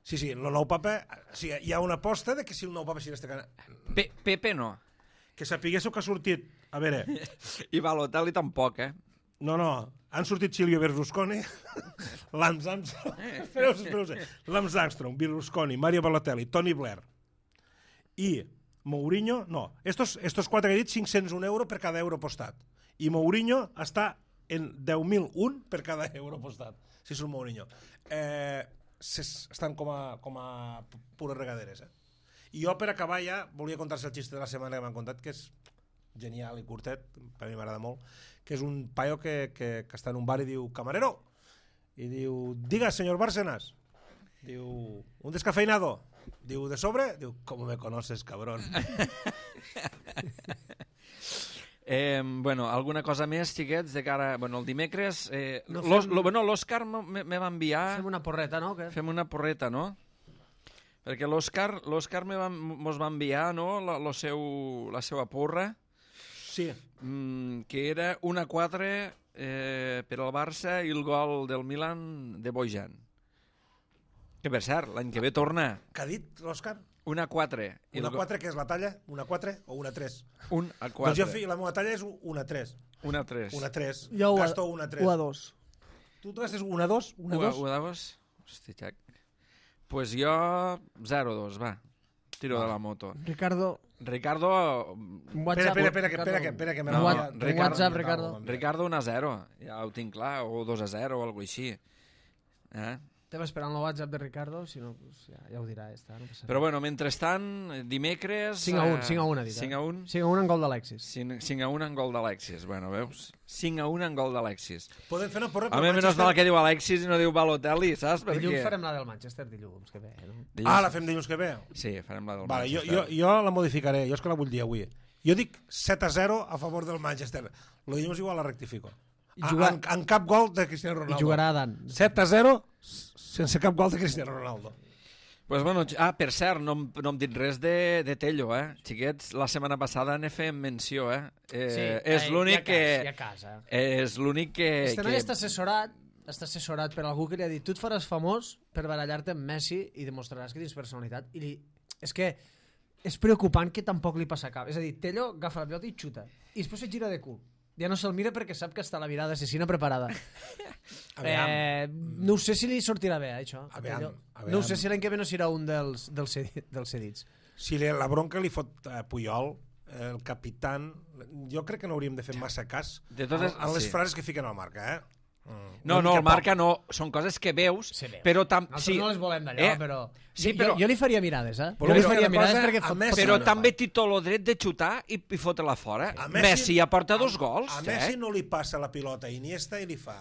[SPEAKER 2] Sí, sí, el nou papa... Sí, hi ha una aposta de que si el nou papa serà este cana...
[SPEAKER 1] Pe Pepe no.
[SPEAKER 2] Que sapiguéssiu que ha sortit... A veure...
[SPEAKER 1] I Balotelli tampoc, eh?
[SPEAKER 2] No, no, han sortit Silvio Berlusconi, Lance Armstrong, espereu, espereu, Lance Armstrong, Berlusconi, Mario Balotelli, Tony Blair i Mourinho, no, estos, estos quatre que he dit, cinc-cents un euro per cada euro apostat. I Mourinho està en deu mil un per cada euro apostat, si és un Mourinho. Eh, estan com a, com a pures regaderes, eh? I jo, per acabar ja, volia contar-se el xiste de la setmana que m'han contat, que és genial i curtet, per a mi m'agrada molt, que és un paio que, que, que està en un bar i diu, camarero, i diu, diga, senyor Bárcenas, diu, un descafeinado, diu, de sobre, diu, com me conoces, cabrón.
[SPEAKER 1] Eh, bueno, alguna cosa més, xiquets, de cara... Bueno, el dimecres... Eh,
[SPEAKER 3] No
[SPEAKER 1] l'Os-
[SPEAKER 3] fem-
[SPEAKER 1] lo, bueno, l'Òscar me, me va enviar...
[SPEAKER 3] Fem una porreta, no? Que...
[SPEAKER 1] Fem una porreta, no? Perquè l'Òscar l'Òscar me va, mos va enviar, no?, la, lo seu, la seva porra,
[SPEAKER 2] Sí.
[SPEAKER 1] mm, que era un a quatre eh, per al Barça i el gol del Milan de Bojan. Que, per cert, l'any que ve torna
[SPEAKER 2] Què ha dit l'Òscar?
[SPEAKER 1] un a quatre. I
[SPEAKER 2] Una
[SPEAKER 1] el go-
[SPEAKER 2] quatre, que és la talla? Una quatre o una tres?
[SPEAKER 1] Un a
[SPEAKER 2] Doncs
[SPEAKER 1] quatre.
[SPEAKER 2] jo, fi- la meva talla és una tres.
[SPEAKER 1] Un a tres.
[SPEAKER 2] Una tres.
[SPEAKER 5] Jo ho a-
[SPEAKER 2] Gasto una tres.
[SPEAKER 5] u a dos.
[SPEAKER 2] Tu tu gastes una dos? Una
[SPEAKER 1] Un a-
[SPEAKER 2] dos?
[SPEAKER 1] un a dos? Hosti, xac. Pues jo zero a dos, va. Tiro de la moto.
[SPEAKER 5] Ricardo,
[SPEAKER 1] Ricardo...
[SPEAKER 3] Un
[SPEAKER 2] Espera,
[SPEAKER 3] WhatsApp,
[SPEAKER 2] espera, espera, que, espera, que, espera, que me
[SPEAKER 1] No,
[SPEAKER 2] l'ha
[SPEAKER 1] no,
[SPEAKER 2] enviat.
[SPEAKER 1] Ricardo-
[SPEAKER 3] WhatsApp, Ricardo.
[SPEAKER 1] Ricardo un a zero, ja ho tinc clar, o dos a zero o alguna així. Eh?
[SPEAKER 3] Estem esperant el WhatsApp de Ricardo, si no, pues ja, ja ho dirà. Està, no passa
[SPEAKER 1] Però
[SPEAKER 3] res.
[SPEAKER 1] bueno, mentrestant, dimecres...
[SPEAKER 3] cinc a un,
[SPEAKER 1] eh,
[SPEAKER 3] cinc a un ha dit.
[SPEAKER 1] cinc a un?
[SPEAKER 3] cinc a un en gol d'Alexis.
[SPEAKER 1] cinc a un en gol d'Alexis. Bueno, veus? cinc a un en gol d'Alexis.
[SPEAKER 2] Podem fer una porra
[SPEAKER 1] A
[SPEAKER 2] pel
[SPEAKER 1] mi menys
[SPEAKER 2] Manchester?
[SPEAKER 1] mal que diu Alexis i no diu Balotelli, saps? Per
[SPEAKER 3] Dilluns
[SPEAKER 1] què?
[SPEAKER 3] farem la del Manchester, dilluns que ve. No?
[SPEAKER 1] Dilluns-
[SPEAKER 2] Ah, la fem dilluns que ve?
[SPEAKER 1] Sí, farem la del
[SPEAKER 2] Vale, jo,
[SPEAKER 1] Manchester.
[SPEAKER 2] jo, jo la modificaré, jo és que la vull dir avui. Jo dic set a zero a favor del Manchester. Lo dilluns igual la rectifico.
[SPEAKER 3] I
[SPEAKER 2] A,
[SPEAKER 3] jugar-
[SPEAKER 2] en, en cap gol de Cristiano
[SPEAKER 3] I
[SPEAKER 2] Ronaldo.
[SPEAKER 3] jugarà a Dan.
[SPEAKER 2] set a zero sense cap gol de Cristiano Ronaldo.
[SPEAKER 1] Pues bueno, ah, per cert, no, em- no hem dit res de, de Tello, eh? Xiquets, la setmana passada ne fèiem menció, eh? eh és l'únic que...
[SPEAKER 3] Ja casa.
[SPEAKER 1] És l'únic que...
[SPEAKER 3] Este noi
[SPEAKER 1] que...
[SPEAKER 3] està assessorat, està assessorat per algú que li ha dit tu et faràs famós per barallar-te amb Messi i demostraràs que tens personalitat. I li... és que és preocupant que tampoc li passa cap. És a dir, Tello agafa la pilota i xuta. I després se gira de cul. Ja no se'l mira perquè sap que està la mirada assassina preparada.
[SPEAKER 2] Aviam.
[SPEAKER 3] Eh, no sé si li sortirà bé, això. a
[SPEAKER 2] Aviam,
[SPEAKER 3] Tello.
[SPEAKER 2] aviam.
[SPEAKER 3] No sé si l'any que ve no serà un dels, dels, cedi, dels cedits.
[SPEAKER 2] Si li- la bronca li fot a Puyol, el capitán... Jo crec que no hauríem de fer massa cas
[SPEAKER 1] de totes,
[SPEAKER 2] a, a les
[SPEAKER 1] sí.
[SPEAKER 2] frases que fiquen al Marca, eh?
[SPEAKER 1] Mm. No, no, el Marca no. Són coses que veus,
[SPEAKER 3] Se veu.
[SPEAKER 1] però... Tam...
[SPEAKER 3] Nosaltres
[SPEAKER 1] sí.
[SPEAKER 3] no les volem d'allò,
[SPEAKER 1] eh?
[SPEAKER 3] però...
[SPEAKER 1] Sí, però...
[SPEAKER 3] Jo, jo li faria mirades, eh?
[SPEAKER 2] Però
[SPEAKER 3] jo li
[SPEAKER 2] però
[SPEAKER 3] faria
[SPEAKER 2] una
[SPEAKER 3] mirades
[SPEAKER 2] cosa,
[SPEAKER 3] perquè...
[SPEAKER 2] a
[SPEAKER 3] Fot,
[SPEAKER 2] Messi-
[SPEAKER 3] pot
[SPEAKER 1] Però
[SPEAKER 2] no,
[SPEAKER 1] també
[SPEAKER 2] no.
[SPEAKER 1] té tot el dret de xutar i, i fotre-la fora.
[SPEAKER 2] A
[SPEAKER 1] Messi,
[SPEAKER 2] Messi-
[SPEAKER 1] ja porta dos
[SPEAKER 2] a,
[SPEAKER 1] gols.
[SPEAKER 2] A Messi no li passa la pilota a Iniesta i li fa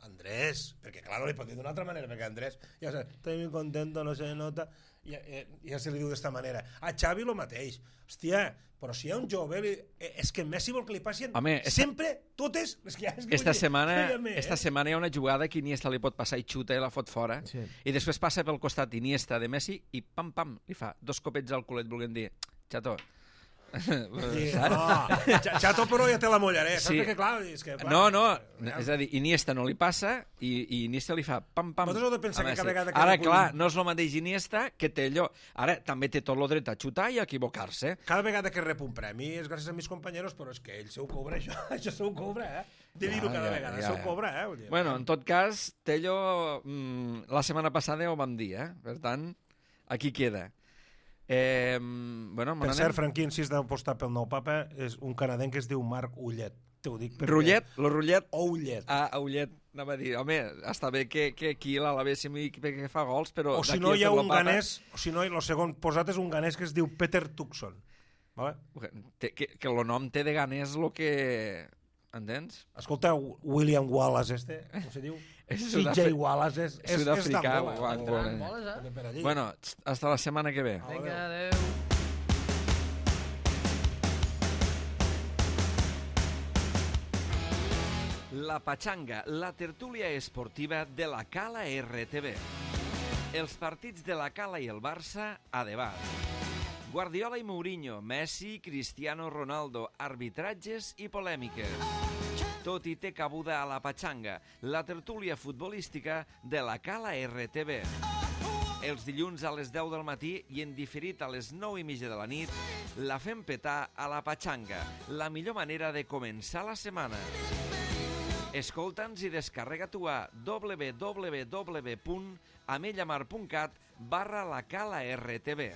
[SPEAKER 2] Andrés, perquè clar, no li pot dir d'una altra manera, perquè Andrés ja sé, estoy muy contento, no se nota, ja, ja, ja se li diu d'esta manera. A Xavi lo mateix. Hòstia, però si hi ha un jove, li, és que Messi vol que li passin
[SPEAKER 1] Home, esta,
[SPEAKER 2] sempre totes les que hi ha. És que
[SPEAKER 1] esta,
[SPEAKER 2] vull dir,
[SPEAKER 1] setmana,
[SPEAKER 2] dígame,
[SPEAKER 1] esta
[SPEAKER 2] eh?
[SPEAKER 1] setmana hi ha una jugada que Iniesta li pot passar i xuta i la fot fora,
[SPEAKER 3] Sí.
[SPEAKER 1] i després passa pel costat Iniesta de Messi i pam, pam, li fa dos copets al culet volent dir, xato,
[SPEAKER 2] Sí,
[SPEAKER 1] saps?
[SPEAKER 2] no, Xato però ja té la mollaré, saps?
[SPEAKER 1] Sí.
[SPEAKER 2] Perquè clar, és que... Clar,
[SPEAKER 1] No, no,
[SPEAKER 2] ja.
[SPEAKER 1] és a dir, Iniesta no li passa i, i Iniesta li fa pam, pam.
[SPEAKER 2] Vosaltres heu de pensar
[SPEAKER 1] a
[SPEAKER 2] que cada
[SPEAKER 1] Messi.
[SPEAKER 2] vegada que
[SPEAKER 1] Ara,
[SPEAKER 2] algú-
[SPEAKER 1] clar, no és el mateix Iniesta que té allò. Ara, també té tot el dret a xutar i a equivocar-se.
[SPEAKER 2] Cada vegada que rep un premi és gràcies a mis companyeros, però és que ell se ho cobra, això, això se ho cobra, eh? De dir-ho
[SPEAKER 1] Ja,
[SPEAKER 2] cada
[SPEAKER 1] ja,
[SPEAKER 2] vegada,
[SPEAKER 1] ja,
[SPEAKER 2] se ho
[SPEAKER 1] ja.
[SPEAKER 2] cobra, eh? Vull dir,
[SPEAKER 1] Bueno, en tot cas, Tello, mmm, la setmana passada ja ho vam dir, eh? Per tant, aquí queda. Eh, bueno,
[SPEAKER 2] Per cert, Franquí insist d'apostar pel nou papa, és un canadenc que es diu Marc Ullet. Te ho dic perquè...
[SPEAKER 1] Rullet, lo Rullet.
[SPEAKER 2] O Ullet.
[SPEAKER 1] Ah, a Ullet, anava a dir, home, està bé que, que aquí l'alabéssim i que, que fa gols, però...
[SPEAKER 2] O si
[SPEAKER 1] d'aquí
[SPEAKER 2] no
[SPEAKER 1] a
[SPEAKER 2] hi ha
[SPEAKER 1] fer la
[SPEAKER 2] un
[SPEAKER 1] papa-
[SPEAKER 2] ganès, o si no, el segon posat és un ganès que es diu Peter Tucson. Vale?
[SPEAKER 1] Té, que, que el nom té de ganès lo que... Entens?
[SPEAKER 2] Escolta, William Wallace este, com se diu?
[SPEAKER 1] És
[SPEAKER 2] C J
[SPEAKER 1] sud-afri-
[SPEAKER 2] Wallace és, és, és
[SPEAKER 1] sud-africà,
[SPEAKER 2] d'Angola.
[SPEAKER 1] guapo.
[SPEAKER 3] Entrant boles, eh?
[SPEAKER 2] També per allí.
[SPEAKER 1] Bueno, hasta la setmana que ve.
[SPEAKER 3] Vinga, adéu.
[SPEAKER 1] La Pachanga, la tertúlia esportiva de la Cala R T V. Els partits de la Cala i el Barça a debat. Guardiola i Mourinho, Messi, Cristiano Ronaldo, arbitratges i polèmiques. Tot hi té cabuda a la Pachanga, la tertúlia futbolística de la Cala R T V. Els dilluns a les deu del matí i en diferit a les nou i mitja de la nit, la fem petar a la Pachanga, la millor manera de començar la setmana. Escolta'ns i descarrega-t'ho a w w w punt amellamar punt cat barra la Cala R T V.